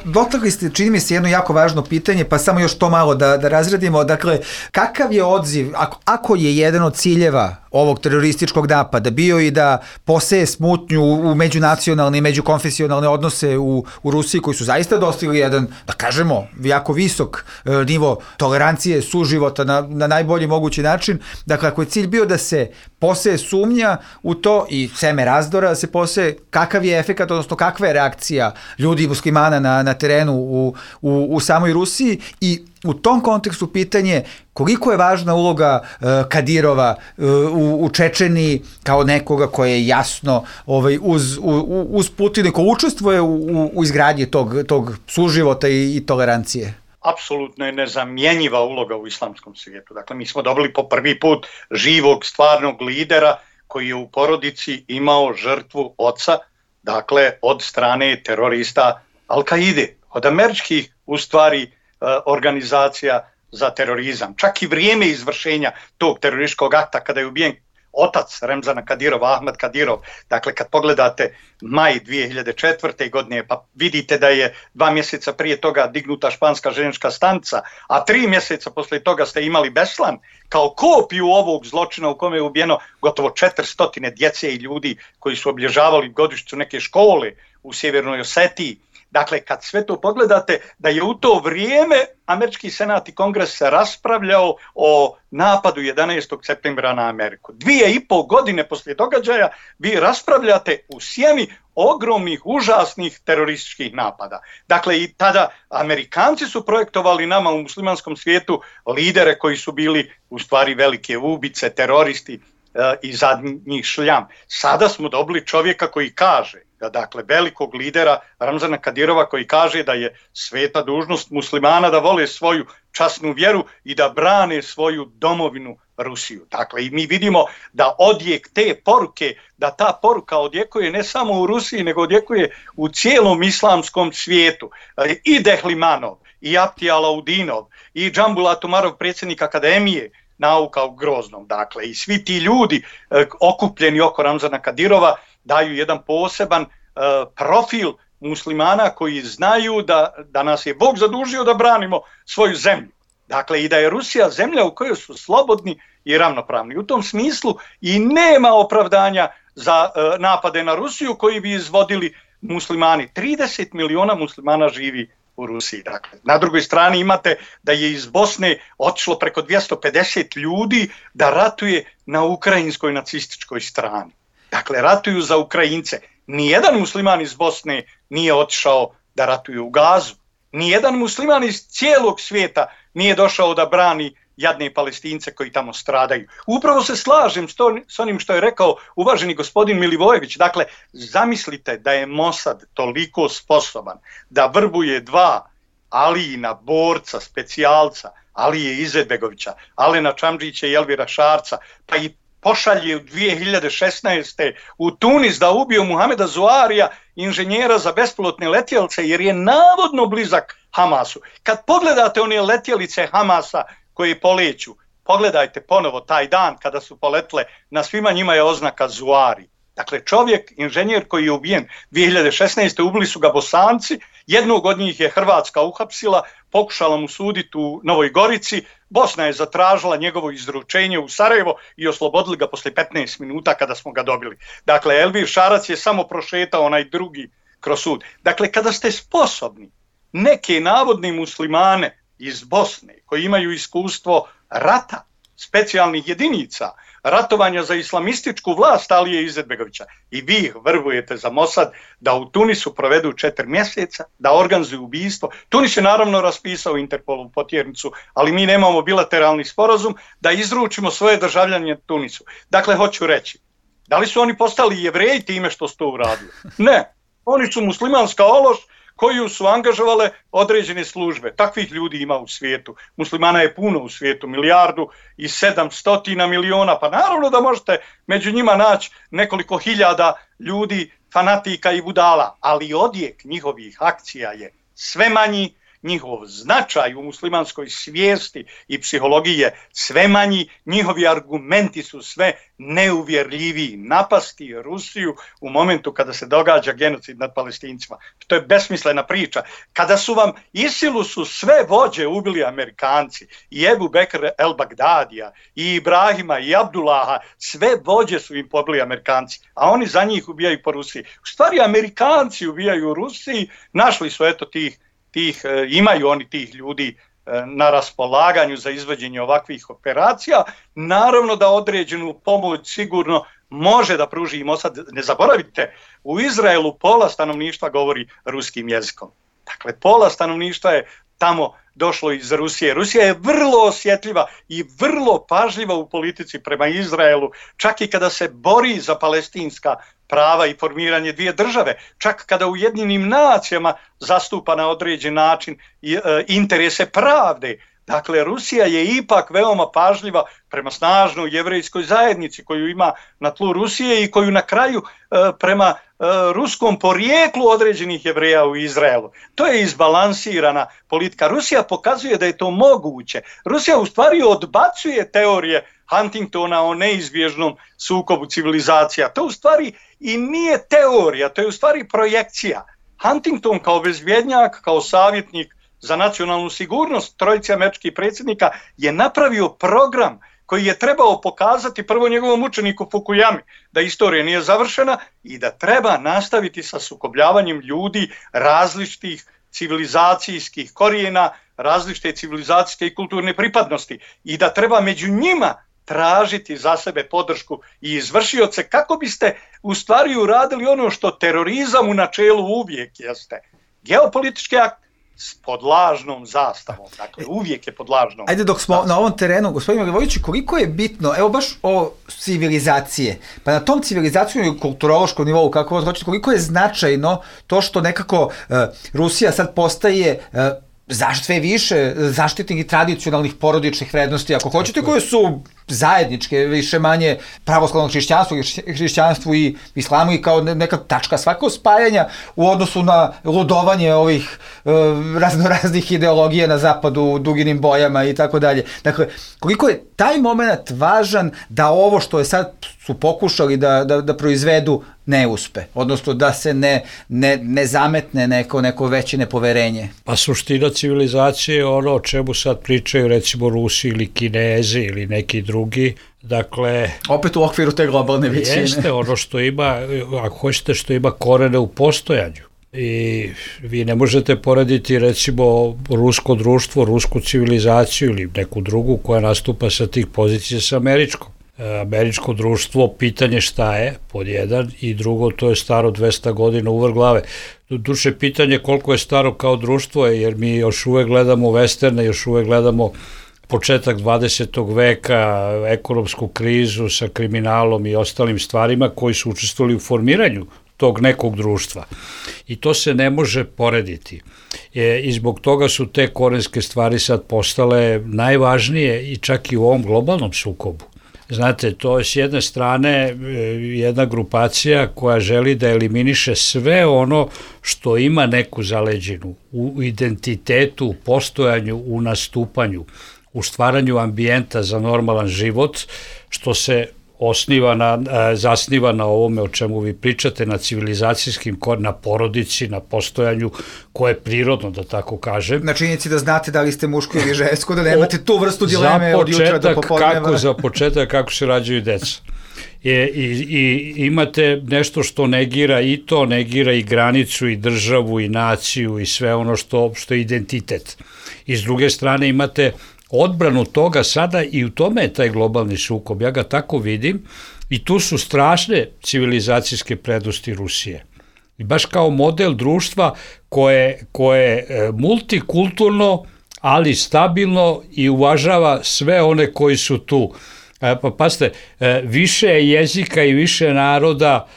dotakli ste, čini mi se, jedno jako važno pitanje, pa samo još to malo da razradimo. Dakle, kakav je odziv, ako je jedan od ciljeva ovog terorističkog napada bio i da poseje smutnju u međunacionalne i međukonfesionalne odnose u Rusiji, koji su zaista dostigli jedan, da kažemo, jako visok nivo tolerancije, suživota na najbolji mogući način. Dakle, ako je cilj bio da se poseje sumnja u to i seme razdora da se poseje, kakav je efekat, odnosno kakva je reakcija ljudi i muslimana na terenu u samoj Rusiji, i u tom kontekstu pitanje koliko je važna uloga Kadirova u Čečeniji kao nekoga koje je jasno uz Putina, ko učestvuje u izgradnji tog suživota i tolerancije.
Apsolutno je nezamjenjiva uloga u islamskom svijetu. Dakle, mi smo dobili po prvi put živog, stvarnog lidera koji je u porodici imao žrtvu oca, dakle, od strane terorista Al-Kaide, od američkih, u stvari, organizacija za terorizam. Čak i vrijeme izvršenja tog terorističkog akta, kada je ubijen otac Remzana Kadirova, Ahmad Kadirov, dakle, kad pogledate maj 2004. godine, pa vidite da je 2 mjeseca prije toga dignuta španska željeznička stanica, a 3 mjeseca poslije toga ste imali Beslan, kao kopiju ovog zločina u kome je ubijeno gotovo 400 djece i ljudi koji su obilježavali godišnjicu neke škole u Sjevernoj Osetiji. Dakle, kad sve to pogledate, da je u to vrijeme američki senat i kongres se raspravljao o napadu 11. septembra na Ameriku. 2,5 godine poslije događaja vi raspravljate u sjeni ogromnih, užasnih terorističkih napada. Dakle, i tada Amerikanci su projektovali nama u muslimanskom svijetu lidere koji su bili u stvari velike ubice, teroristi i zadnjih šljam. Sada smo dobili čovjeka koji kaže, dakle, velikog lidera Ramzana Kadirova, koji kaže da je sveta dužnost muslimana da vole svoju časnu vjeru i da brane svoju domovinu Rusiju. Dakle, i mi vidimo da odjek te poruke, da ta poruka odjekuje ne samo u Rusiji, nego odjekuje u cijelom islamskom svijetu. I Dehlimanov, i Apti Alaudinov, i Džambulat Umarov, predsjednik Akademije nauka u Groznom. Dakle, i svi ti ljudi okupljeni oko Ramzana Kadirova daju jedan poseban profil muslimana koji znaju da nas je Bog zadužio da branimo svoju zemlju. Dakle, i da je Rusija zemlja u kojoj su slobodni i ravnopravni. U tom smislu i nema opravdanja za napade na Rusiju koji bi izvodili muslimani. 30 miliona muslimana živi u Rusiji. Dakle, na drugoj strani imate da je iz Bosne otišlo preko 250 ljudi da ratuje na ukrajinskoj nacističkoj strani. Dakle, ratuju za Ukrajince. Nijedan musliman iz Bosne nije otišao da ratuje u Gazu. Nijedan musliman iz cijelog svijeta nije došao da brani jadne Palestince koji tamo stradaju. Upravo se slažem s onim što je rekao uvaženi gospodin Milivojević. Dakle, zamislite da je Mossad toliko sposoban da vrbuje 2 Alijina borca, specijalca, Alije Izetbegovića, Alena Čamdžića i Elvira Šarca, pa i pošalje u 2016. u Tunis da ubio Muhameda Zuarija, inženjera za bespilotne letjelice, jer je navodno blizak Hamasu. Kad pogledate one letjelice Hamasa koje poleću, pogledajte ponovo taj dan kada su poletle, na svima njima je oznaka Zuari. Dakle, čovjek, inženjer koji je ubijen 2016. ubili su ga Bosanci, jednog od njih je Hrvatska uhapsila, pokušala mu suditi u Novoj Gorici, Bosna je zatražila njegovo izručenje u Sarajevo i oslobodili ga posle 15 minuta kada smo ga dobili. Dakle, Elvir Šarac je samo prošetao onaj drugi kroz sud. Dakle, kada ste sposobni neke navodne muslimane iz Bosne koji imaju iskustvo rata, specijalnih jedinica, ratovanja za islamističku vlast Alije Izetbegovića, i vi ih vrbujete za Mossad da u Tunisu provedu 4 mjeseca, da organizuju ubijstvo. Tunis je naravno raspisao Interpolovu potjernicu, ali mi nemamo bilateralni sporazum da izručimo svoje državljanje Tunisu. Dakle, hoću reći, da li su oni postali Jevreji time što su to uradili? Ne, oni su muslimanska ološ koju su angažovale određene službe. Takvih ljudi ima u svijetu. Muslimana je puno u svijetu, 1.700.000.000, pa naravno da možete među njima naći nekoliko hiljada ljudi, fanatika i budala, ali odjek njihovih akcija je sve manji, njihov značaj u muslimanskoj svijesti i psihologiji je sve manji, njihovi argumenti su sve neuvjerljiviji. Napasti Rusiju u momentu kada se događa genocid nad Palestincima, to je besmislena priča. Kada su vam ISIL-u su sve vođe ubili Amerikanci, i Ebu Bekr el-Bagdadija, i Ibrahima, i Abdullaha, sve vođe su im pobili Amerikanci, a oni za njih ubijaju po Rusiji. U stvari Amerikanci ubijaju u Rusiji, našli su eto imaju oni tih ljudi na raspolaganju za izvođenje ovakvih operacija. Naravno da određenu pomoć sigurno može da pruži i Mossad. Ne zaboravite, u Izraelu pola stanovništva govori ruskim jezikom. Dakle, pola stanovništva je tamo došlo iz Rusije. Rusija je vrlo osjetljiva i vrlo pažljiva u politici prema Izraelu, čak i kada se bori za palestinska prava i formiranje dvije države, čak kada u Ujedinjenim nacijama zastupa na određen način interese pravde. Dakle, Rusija je ipak veoma pažljiva prema snažnoj jevrejskoj zajednici koju ima na tlu Rusije i koju na kraju prema ruskom porijeklu određenih Jevreja u Izraelu. To je izbalansirana politika. Rusija pokazuje da je to moguće. Rusija u stvari odbacuje teorije Huntingtona o neizbježnom sukobu civilizacija. To u stvari i nije teorija, to je u stvari projekcija. Huntington kao bezbjednjak, kao savjetnik za nacionalnu sigurnost trojice američkih predsjednika je napravio program koji je trebao pokazati prvo njegovom učeniku Fukuyami da istorija nije završena i da treba nastaviti sa sukobljavanjem ljudi različitih civilizacijskih korijena, različite civilizacijske i kulturne pripadnosti i da treba među njima tražiti za sebe podršku i izvršioce kako biste u stvari uradili ono što terorizam u načelu uvijek jeste. Geopolitički akt pod lažnom zastavom, dakle uvijek je pod lažnom.
Ajde dok smo na ovom terenu, gospodine Milivojeviću, koliko je bitno, evo baš o civilizacije, pa na tom civilizacijom i kulturološkom nivou, kako hoćete, koliko je značajno to što nekako Rusija sad postaje sve više zaštitnih i tradicionalnih porodičnih vrednosti, ako hoćete, koje su zajedničke, više manje pravoslavnom hrišćanstvu i islamu i kao neka tačka svakog spajanja u odnosu na ludovanje ovih raznoraznih ideologija na zapadu u duginim bojama i tako dalje. Dakle, koliko je taj moment važan da ovo što je sad su pokušali da proizvedu ne uspe, odnosno da se ne zametne neko veće nepoverenje.
Pa suština civilizacije je ono o čemu sad pričaju recimo Rusi ili Kinezi ili neki drugi, dakle...
Opet u okviru te globalne većine.
Jeste ono što ima, ako hoćete, što ima korene u postojanju. I vi ne možete porediti recimo rusko društvo, rusku civilizaciju ili neku drugu koja nastupa sa tih pozicija sa američkom. Američko društvo, pitanje šta je, pod jedan, i drugo, to je staro 200 godina uvrh glave. Duše pitanje koliko je staro kao društvo, jer mi još uvek gledamo westerne, još uvek gledamo početak 20. veka, ekonomsku krizu sa kriminalom i ostalim stvarima koji su učestvovali u formiranju tog nekog društva. I to se ne može porediti. I zbog toga su te korenske stvari sad postale najvažnije i čak i u ovom globalnom sukobu. Znate, to je s jedne strane jedna grupacija koja želi da eliminiše sve ono što ima neku zaleđinu u identitetu, u postojanju, u nastupanju, u stvaranju ambijenta za normalan život, što se zasniva na ovome o čemu vi pričate, na civilizacijskim, na porodici, na postojanju koje je prirodno, da tako kažem.
Na činjenici da znate da li ste muško ili žensko, da nemate tu vrstu dileme od jutra do popodneva.
Za početak kako se rađaju deca. I imate nešto što negira i to, negira i granicu i državu i naciju i sve ono što je identitet. I s druge strane imate odbranu toga sada i u tome je taj globalni sukob. Ja ga tako vidim i tu su strašne civilizacijske prednosti Rusije. I baš kao model društva koje je multikulturno, ali stabilno i uvažava sve one koji su tu. Pa pasite, više jezika i više naroda,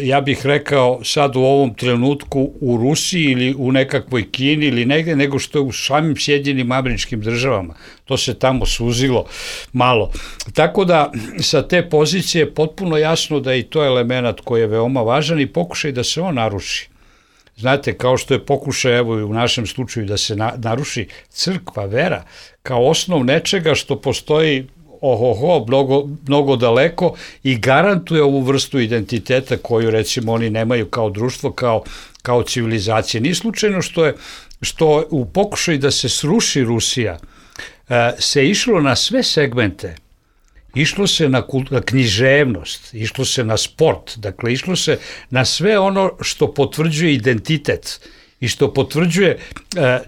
ja bih rekao sad u ovom trenutku u Rusiji ili u nekakvoj Kini ili negde, nego što je u samim Sjedinjenim Američkim Državama. To se tamo suzilo malo. Tako da sa te pozicije je potpuno jasno da i to element koji je veoma važan i pokušaj da se on naruši. Znate, kao što je pokušaj, evo i u našem slučaju, da se naruši crkva, vera, kao osnov nečega što postoji mnogo daleko i garantuje ovu vrstu identiteta koju recimo oni nemaju kao društvo, kao civilizacije. Nije slučajno što u pokušaju da se sruši Rusija se išlo na sve segmente. Išlo se na književnost, išlo se na sport, dakle išlo se na sve ono što potvrđuje identitet i što potvrđuje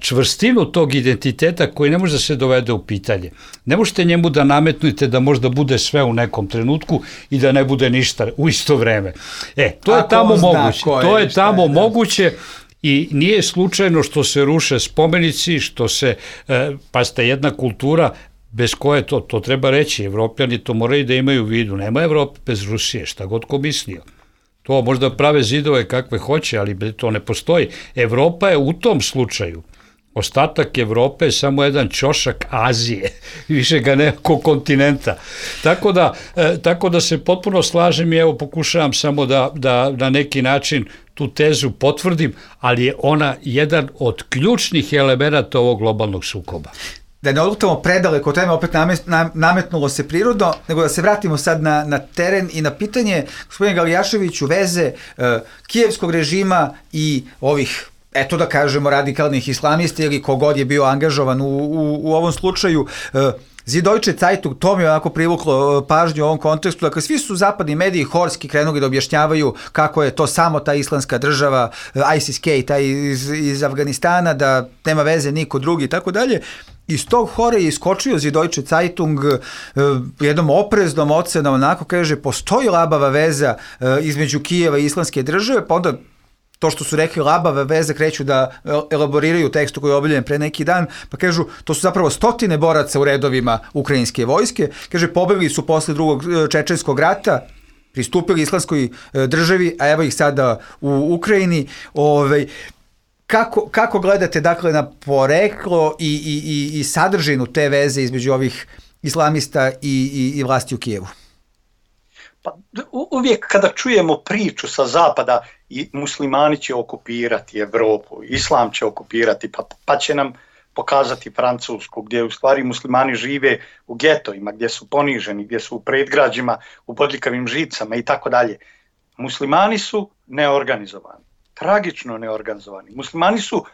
čvrstinu tog identiteta koji ne može da se dovede u pitanje. Ne možete njemu da nametnete da možda bude sve u nekom trenutku i da ne bude ništa u isto vreme. To je tamo moguće. To je tamo moguće. I nije slučajno što se ruše spomenici, što se, pazite, jedna kultura bez koje to treba reći, Evropljani to moraju da imaju u vidu. Nema Evrope bez Rusije, šta god ko mislio. To možda prave zidove kakve hoće, ali to ne postoji. Evropa je u tom slučaju. Ostatak Evrope je samo jedan ćošak Azije, više ga nekog kontinenta. Tako da se potpuno slažem i evo pokušavam samo da na neki način tu tezu potvrdim, ali je ona jedan od ključnih elemenata ovog globalnog sukoba.
Da ne odlutamo predaleko, teme opet nametnulo se prirodno, nego da se vratimo sad na teren i na pitanje, gospodine Galijaševiću, veze kijevskog režima i ovih, eto da kažemo, radikalnih islamista ili kogod je bio angažovan u ovom slučaju. Süddeutsche Zeitung, to mi je onako privuklo pažnju u ovom kontekstu. Dakle, svi su zapadni mediji horski krenuli da objašnjavaju kako je to samo ta islamska država, ISIS-K, taj iz Afganistana, da nema veze niko drugi i tako dalje. Iz tog hora je iskočio Süddeutsche Zeitung jednom opreznom ocenom, onako kaže, postoji labava veza između Kijeva i islamske države, pa onda to što su rekli labave veze kreću da elaboriraju tekstu koji je objavljen pre neki dan, pa kažu, to su zapravo stotine boraca u redovima ukrajinske vojske, kaže, pobegli su posle drugog čečenskog rata, pristupili islamskoj državi, a evo ih sada u Ukrajini. Kako gledate, dakle, na poreklo i sadržinu te veze između ovih islamista i vlasti u Kijevu?
Pa uvijek kada čujemo priču sa zapada i muslimani će okupirati Evropu, islam će okupirati, pa će nam pokazati Francusku, gdje u stvari muslimani žive u getovima, gdje su poniženi, gdje su u predgrađima, u bodljikavim žicama i tako dalje. Muslimani su neorganizovani, tragično neorganizovani. Muslimani su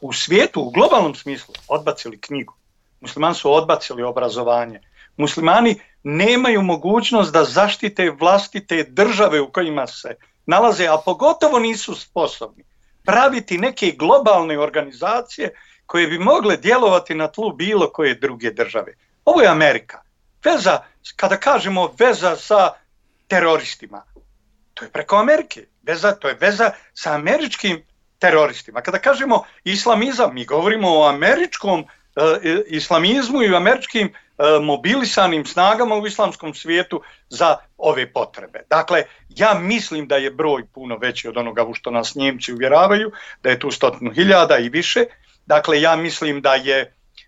u svijetu, u globalnom smislu, odbacili knjigu. Muslimani su odbacili obrazovanje. Muslimani nemaju mogućnost da zaštite vlastite države u kojima se nalaze, a pogotovo nisu sposobni praviti neke globalne organizacije koje bi mogle djelovati na tlu bilo koje druge države. Ovo je Amerika. Veza, kada kažemo veza sa teroristima, to je preko Amerike. To je veza sa američkim teroristima. Kada kažemo islamizam, mi govorimo o američkom islamizmu i o američkim mobilisanim snagama u islamskom svijetu za ove potrebe. Dakle, ja mislim da je broj puno veći od onoga u što nas Njemci uvjeravaju, da je tu 100.000 i više. Dakle, ja mislim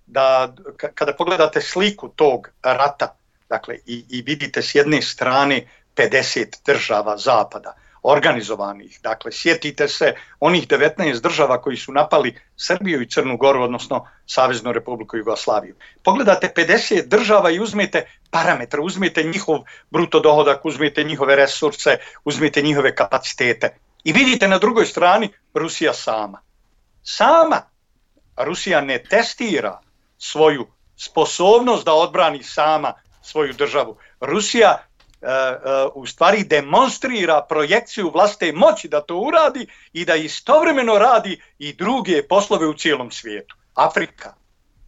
da kada pogledate sliku tog rata, dakle, i vidite s jedne strane 50 država zapada, organizovanih. Dakle, sjetite se onih 19 država koji su napali Srbiju i Crnu Goru, odnosno Saveznu Republiku Jugoslaviju. Pogledate 50 država i uzmete parametre, uzmete njihov bruto dohodak, uzmete njihove resurse, uzmete njihove kapacitete. I vidite na drugoj strani Rusija sama. Sama Rusija ne testira svoju sposobnost da odbrani sama svoju državu. Rusija u stvari demonstrira projekciju vlastite moći da to uradi i da istovremeno radi i druge poslove u cijelom svijetu. Afrika.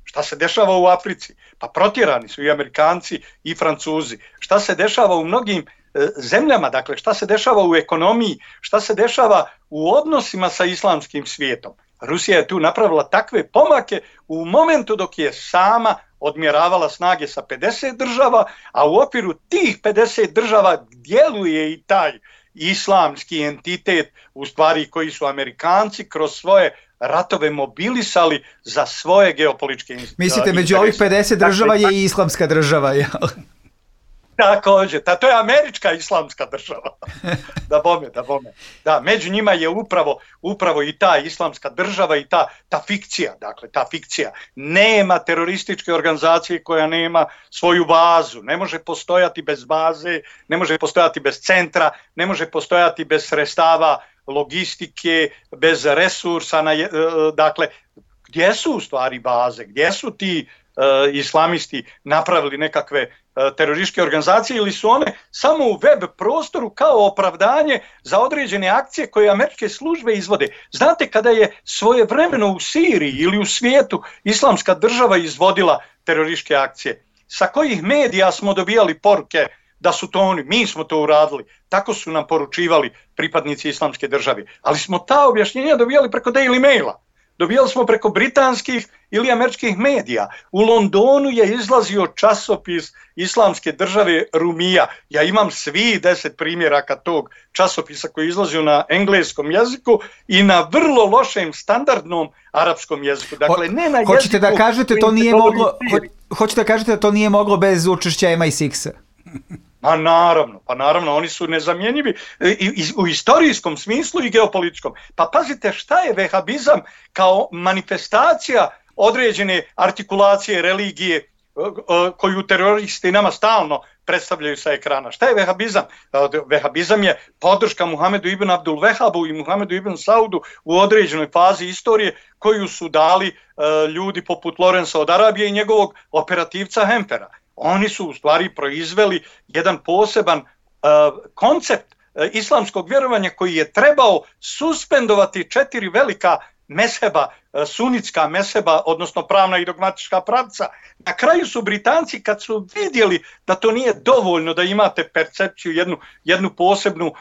Šta se dešava u Africi? Pa protjerani su i Amerikanci i Francuzi. Šta se dešava u mnogim zemljama? Dakle, šta se dešava u ekonomiji? Šta se dešava u odnosima sa islamskim svijetom? Rusija je tu napravila takve pomake u momentu dok je sama odmjeravala snage sa 50 država, a u okviru tih 50 država djeluje i taj islamski entitet, u stvari koji su Amerikanci kroz svoje ratove mobilisali za svoje geopolitičke interese.
Mislite, među ovih 50 država je i islamska država, jel?
Također, to je američka islamska država. Da bome. Da, među njima je upravo i ta islamska država i ta fikcija. Dakle, ta fikcija. Nema terorističke organizacije koja nema svoju bazu. Ne može postojati bez baze, ne može postojati bez centra, ne može postojati bez sredstava logistike, bez resursa. Dakle, gdje su u stvari baze? Gdje su ti islamisti napravili nekakve terorističke organizacije ili su one samo u web prostoru kao opravdanje za određene akcije koje američke službe izvode? Znate, kada je svojevremeno u Siriji ili u svijetu islamska država izvodila terorističke akcije, sa kojih medija smo dobijali poruke da su to oni, mi smo to uradili, tako su nam poručivali pripadnici islamske države, ali smo ta objašnjenja dobijali preko Daily Maila. Dobijali smo preko britanskih ili američkih medija. U Londonu je izlazio časopis islamske države Rumija. Ja imam svi 10 primjeraka tog časopisa koji je izlazio na engleskom jeziku i na vrlo lošem standardnom arapskom jeziku. Dakle, ne na jeziku...
Hoćete da kažete da to nije moglo bez učešća MI6-a?
Pa naravno, oni su nezamjenjivi u istorijskom smislu i geopolitičkom. Pa pazite, šta je vehabizam kao manifestacija određene artikulacije religije koju teroristi nama stalno predstavljaju sa ekrana. Šta je vehabizam? Vehabizam je podrška Muhamedu ibn Abdul Vehabu i Muhamedu ibn Saudu u određenoj fazi istorije koju su dali ljudi poput Lorenza od Arabije i njegovog operativca Hempera. Oni su u stvari proizveli jedan poseban koncept islamskog vjerovanja koji je trebao suspendovati 4 velika mezheba, sunitska mezheba, odnosno pravna i dogmatička pravca. Na kraju su Britanci, kad su vidjeli da to nije dovoljno da imate percepciju, jednu posebnu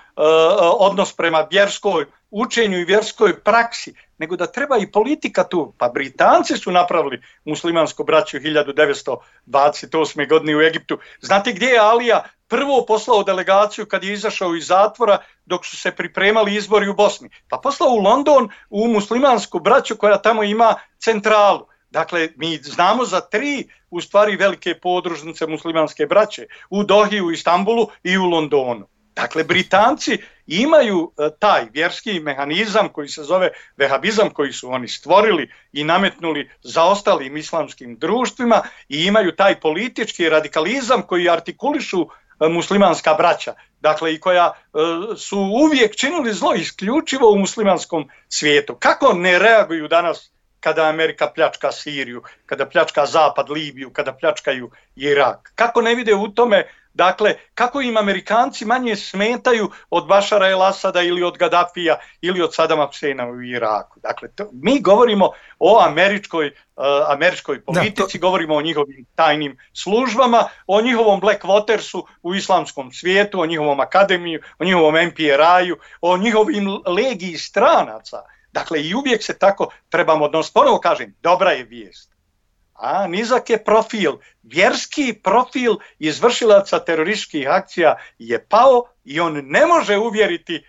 odnos prema vjerskoj učenju i vjerskoj praksi, nego da treba i politika tu. Pa Britanci su napravili muslimansku braću 1928. godine u Egiptu. Znate gdje je Alija prvo poslao delegaciju kad je izašao iz zatvora dok su se pripremali izbori u Bosni? Pa poslao u London u muslimansku braću koja tamo ima centralu. Dakle, mi znamo za 3 u stvari velike podružnice muslimanske braće, u Dohi, u Istanbulu i u Londonu. Dakle, Britanci imaju taj vjerski mehanizam koji se zove vehabizam, koji su oni stvorili i nametnuli zaostalim islamskim društvima, i imaju taj politički radikalizam koji artikulišu muslimanska braća, dakle, i koja su uvijek činili zlo isključivo u muslimanskom svijetu. Kako ne reaguju danas kada Amerika pljačka Siriju, kada pljačka Zapad, Libiju, kada pljačkaju Irak? Kako ne vide u tome, dakle, kako im Amerikanci manje smetaju od Bašara el-Asada ili od Gaddafija ili od Sadama Huseina u Iraku? Dakle, mi govorimo o američkoj politici, govorimo o njihovim tajnim službama, o njihovom Blackwatersu u islamskom svijetu, o njihovom akademiju, o njihovom MPRI-u, o njihovim legiji stranaca. Dakle, i uvijek se tako trebamo odnositi. Ponovo kažem, dobra je vijest. A nizak je profil, vjerski profil izvršilaca terorističkih akcija je pao i on ne može uvjeriti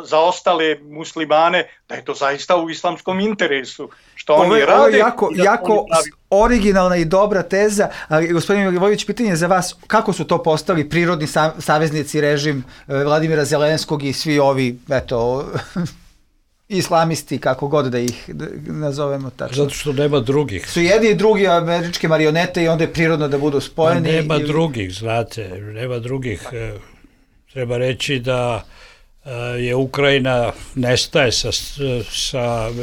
za ostale muslimane da je to zaista u islamskom interesu što oni rade.
Ovo je jako originalna i dobra teza, ali gospodin Milivojević, pitanje za vas, kako su to postali prirodni saveznici režim Vladimira Zelenskog i svi ovi, eto, islamisti, kako god da ih nazovemo tačno?
Zato što nema drugih.
Su jedni i drugi američke marionete i onda je prirodno da budu spojeni.
Nema drugih, znate, nema drugih. Treba reći da je Ukrajina nestaje sa,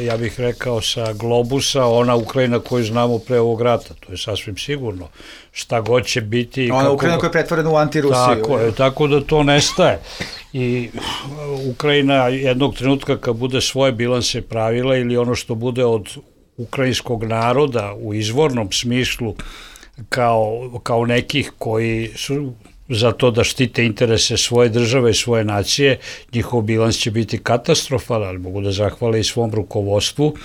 ja bih rekao, sa globusa, ona Ukrajina koju znamo pre ovog rata, to je sasvim sigurno. Šta god će biti...
Ona Ukrajina koja je pretvorena u antirusiju.
Tako da to nestaje. I Ukrajina jednog trenutka kad bude svoje bilanse pravila ili ono što bude od ukrajinskog naroda u izvornom smislu kao nekih koji su za to da štite interese svoje države i svoje nacije, njihov bilans će biti katastrofalan, ali mogu da zahvale i svom rukovodstvu,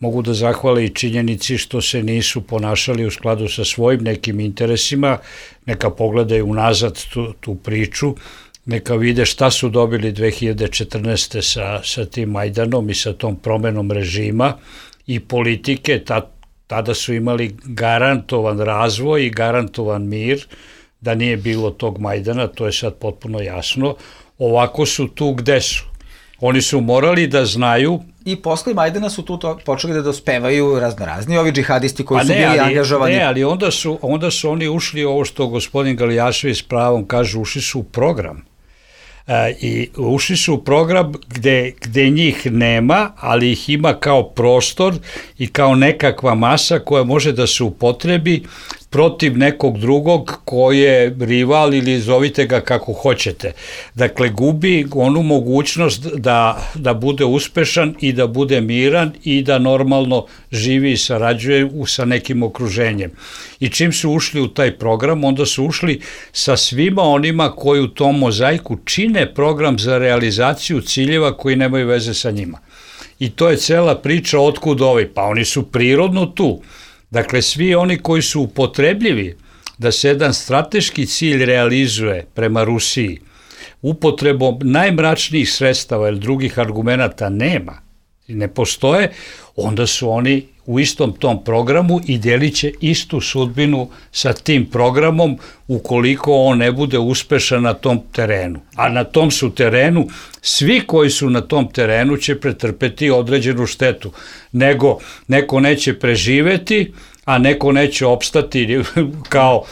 mogu da zahvale i činjenici što se nisu ponašali u skladu sa svojim nekim interesima, neka pogledaju unazad tu priču, neka vide šta su dobili 2014. sa tim Majdanom i sa tom promenom režima i politike. Tada su imali garantovan razvoj i garantovan mir, da nije bilo tog Majdana, to je sad potpuno jasno. Ovako su tu gde su. Oni su morali da znaju.
I posle Majdana su tu počeli da dospevaju raznorazni ovi džihadisti koji su bili angažovani.
Ne, ali onda su oni ušli, ovo što gospodin Galijašević s pravom kaže, ušli su u program. I ušli su u program gde njih nema, ali ih ima kao prostor i kao nekakva masa koja može da se upotrebi protiv nekog drugog koji je rival ili zovite ga kako hoćete. Dakle, gubi onu mogućnost da bude uspešan i da bude miran i da normalno živi i sarađuje sa nekim okruženjem. I čim su ušli u taj program, onda su ušli sa svima onima koji u tom mozaiku čine program za realizaciju ciljeva koji nemaju veze sa njima. I to je cela priča otkud ovi, pa oni su prirodno tu. Dakle, svi oni koji su upotrebljivi da se jedan strateški cilj realizuje prema Rusiji upotrebom najmračnijih sredstava jer drugih argumenata nema i ne postoje, onda su oni u istom tom programu i delit će istu sudbinu sa tim programom ukoliko on ne bude uspešan na tom terenu. A na tom su terenu, svi koji su na tom terenu će pretrpeti određenu štetu. Nego neko neće preživeti, a neko neće opstati kao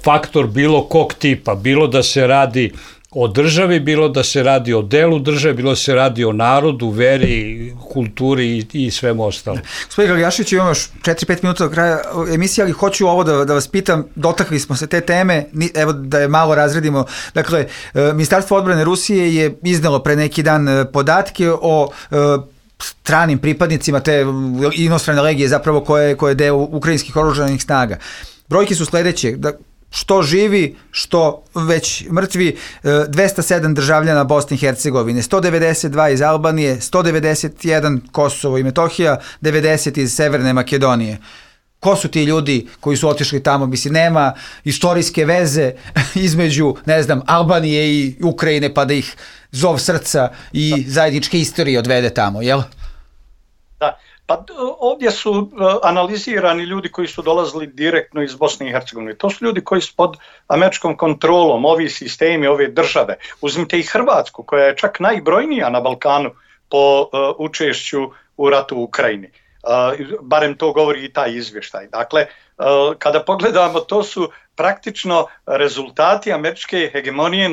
faktor bilo kog tipa, bilo da se radi o državi, bilo da se radi o delu države, bilo da se radi o narodu, veri, kulturi i svemu ostalo.
Gospodin Galijašević, imamo još 4-5 minuta do kraja emisije, ali hoću ovo da vas pitam, dotakli smo se te teme, evo da je malo razredimo. Dakle, Ministarstvo odbrane Rusije je iznelo pre neki dan podatke o stranim pripadnicima te inostrane legije zapravo koje je deo ukrajinskih oružanih snaga. Brojke su sledeće, što živi, što već mrtvi, 207 državljana Bosne i Hercegovine, 192 iz Albanije, 191 Kosovo i Metohija, 90 iz Severne Makedonije. Ko su ti ljudi koji su otišli tamo? Mislim, nema istorijske veze između, ne znam, Albanije i Ukrajine, pa da ih zov srca i zajedničke istorije odvede tamo, jel?
Da, pa ovdje su analizirani ljudi koji su dolazili direktno iz Bosne i Hercegovine. To su ljudi koji su pod američkom kontrolom, ovi sistemi, ove države. Uzmite i Hrvatsku, koja je čak najbrojnija na Balkanu po učešću u ratu u Ukrajini. Barem to govori i taj izvještaj. Dakle, kada pogledamo, to su praktično rezultati američke hegemonije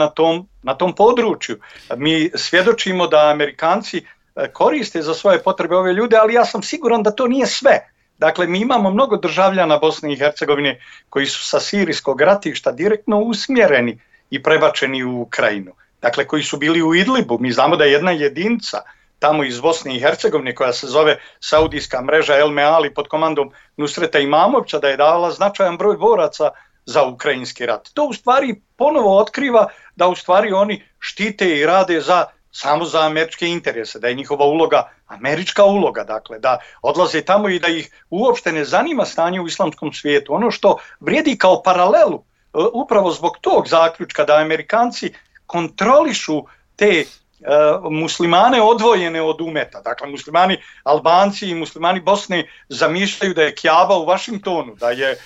na tom području. Mi svjedočimo da Amerikanci koriste za svoje potrebe ove ljude, ali ja sam siguran da to nije sve. Dakle, mi imamo mnogo državljana Bosne i Hercegovine koji su sa sirijskog ratišta direktno usmjereni i prebačeni u Ukrajinu. Dakle, koji su bili u Idlibu. Mi znamo da je jedna jedinica tamo iz Bosne i Hercegovine koja se zove Saudijska mreža El Meali pod komandom Nusreta Imamovića, da je davala značajan broj boraca za ukrajinski rat. To u stvari ponovo otkriva da u stvari oni štite i rade samo za američke interese, da je njihova uloga američka uloga, dakle da odlaze tamo i da ih uopšte ne zanima stanje u islamskom svijetu. Ono što vrijedi kao paralelu upravo zbog tog zaključka da Amerikanci kontrolišu te muslimane odvojene od umeta. Dakle, muslimani Albanci i muslimani Bosne zamišljaju da je Kjaba u Vašingtonu, da je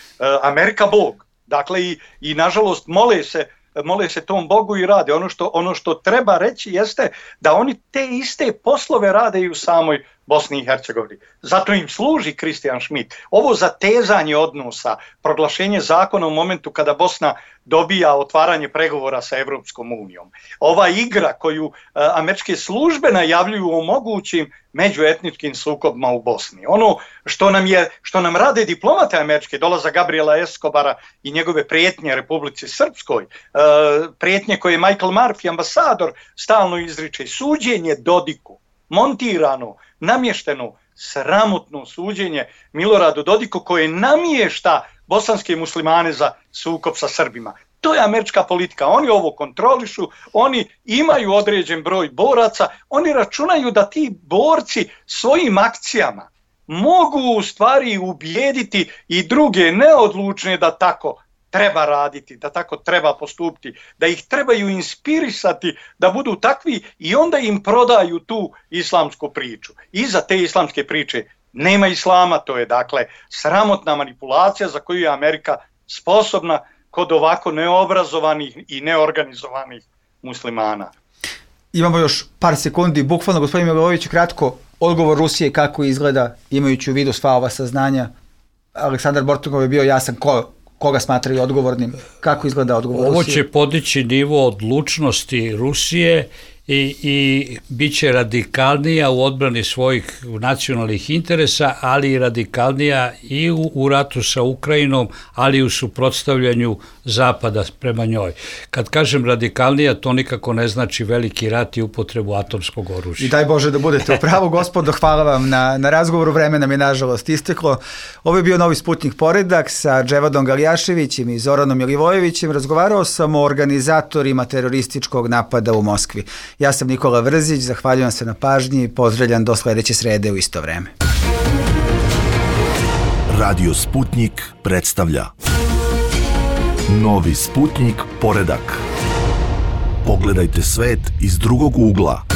Amerika Bog. Dakle, i nažalost mole se tom Bogu i rade. Ono što treba reći jeste da oni te iste poslove rade i u samoj Bosni i Hercegovini. Zato im služi Kristijan Schmidt. Ovo zatezanje odnosa, proglašenje zakona u momentu kada Bosna dobija otvaranje pregovora sa Evropskom unijom. Ova igra koju američke službe najavljuju o mogućim međuetničkim sukobima u Bosni. Ono što nam rade diplomate američke, dolazak Gabriela Escobara i njegove prijetnje Republici Srpskoj, prijetnje koje Michael Murphy, ambasador, stalno izriče, suđenje Dodiku, montirano, namješteno, sramotno suđenje Miloradu Dodiku koje namješta bosanske muslimane za sukob sa Srbima. To je američka politika. Oni ovo kontrolišu, oni imaju određen broj boraca, oni računaju da ti borci svojim akcijama mogu u stvari ubijediti i druge neodlučne da tako treba raditi, da tako treba postupiti, da ih trebaju inspirisati da budu takvi i onda im prodaju tu islamsku priču. Iza te islamske priče nema islama, to je dakle sramotna manipulacija za koju je Amerika sposobna kod ovako neobrazovanih i neorganizovanih muslimana.
Imamo još par sekundi, bukvalno gospodin Milivojević, kratko, odgovor Rusije kako izgleda, imajući u vidu sva ova saznanja. Aleksandar Bortnikov je bio jasan koga smatraju odgovornim, kako izgleda odgovor Rusije?
Ovo će podići nivo odlučnosti Rusije i bit će radikalnija u odbrani svojih nacionalnih interesa, ali i radikalnija i u ratu sa Ukrajinom, ali i u suprotstavljanju Zapada prema njoj. Kad kažem radikalnija, to nikako ne znači veliki rat i upotrebu atomskog oružja.
I daj Bože da budete u pravu, gospodo, hvala vam na razgovoru, vreme nam je nažalost isteklo. Ovo je bio Novi Sputnik Poredak sa Dževadom Galijaševićem i Zoranom Milivojevićem. Razgovarao sam o organizatorima terorističkog napada u Moskvi. Ja sam Nikola Vrzić, zahvaljujem se na pažnji i pozdravljam do sledeće srede u isto vreme.
Radio Sputnik predstavlja Novi Sputnik Poredak. Pogledajte svet iz drugog ugla.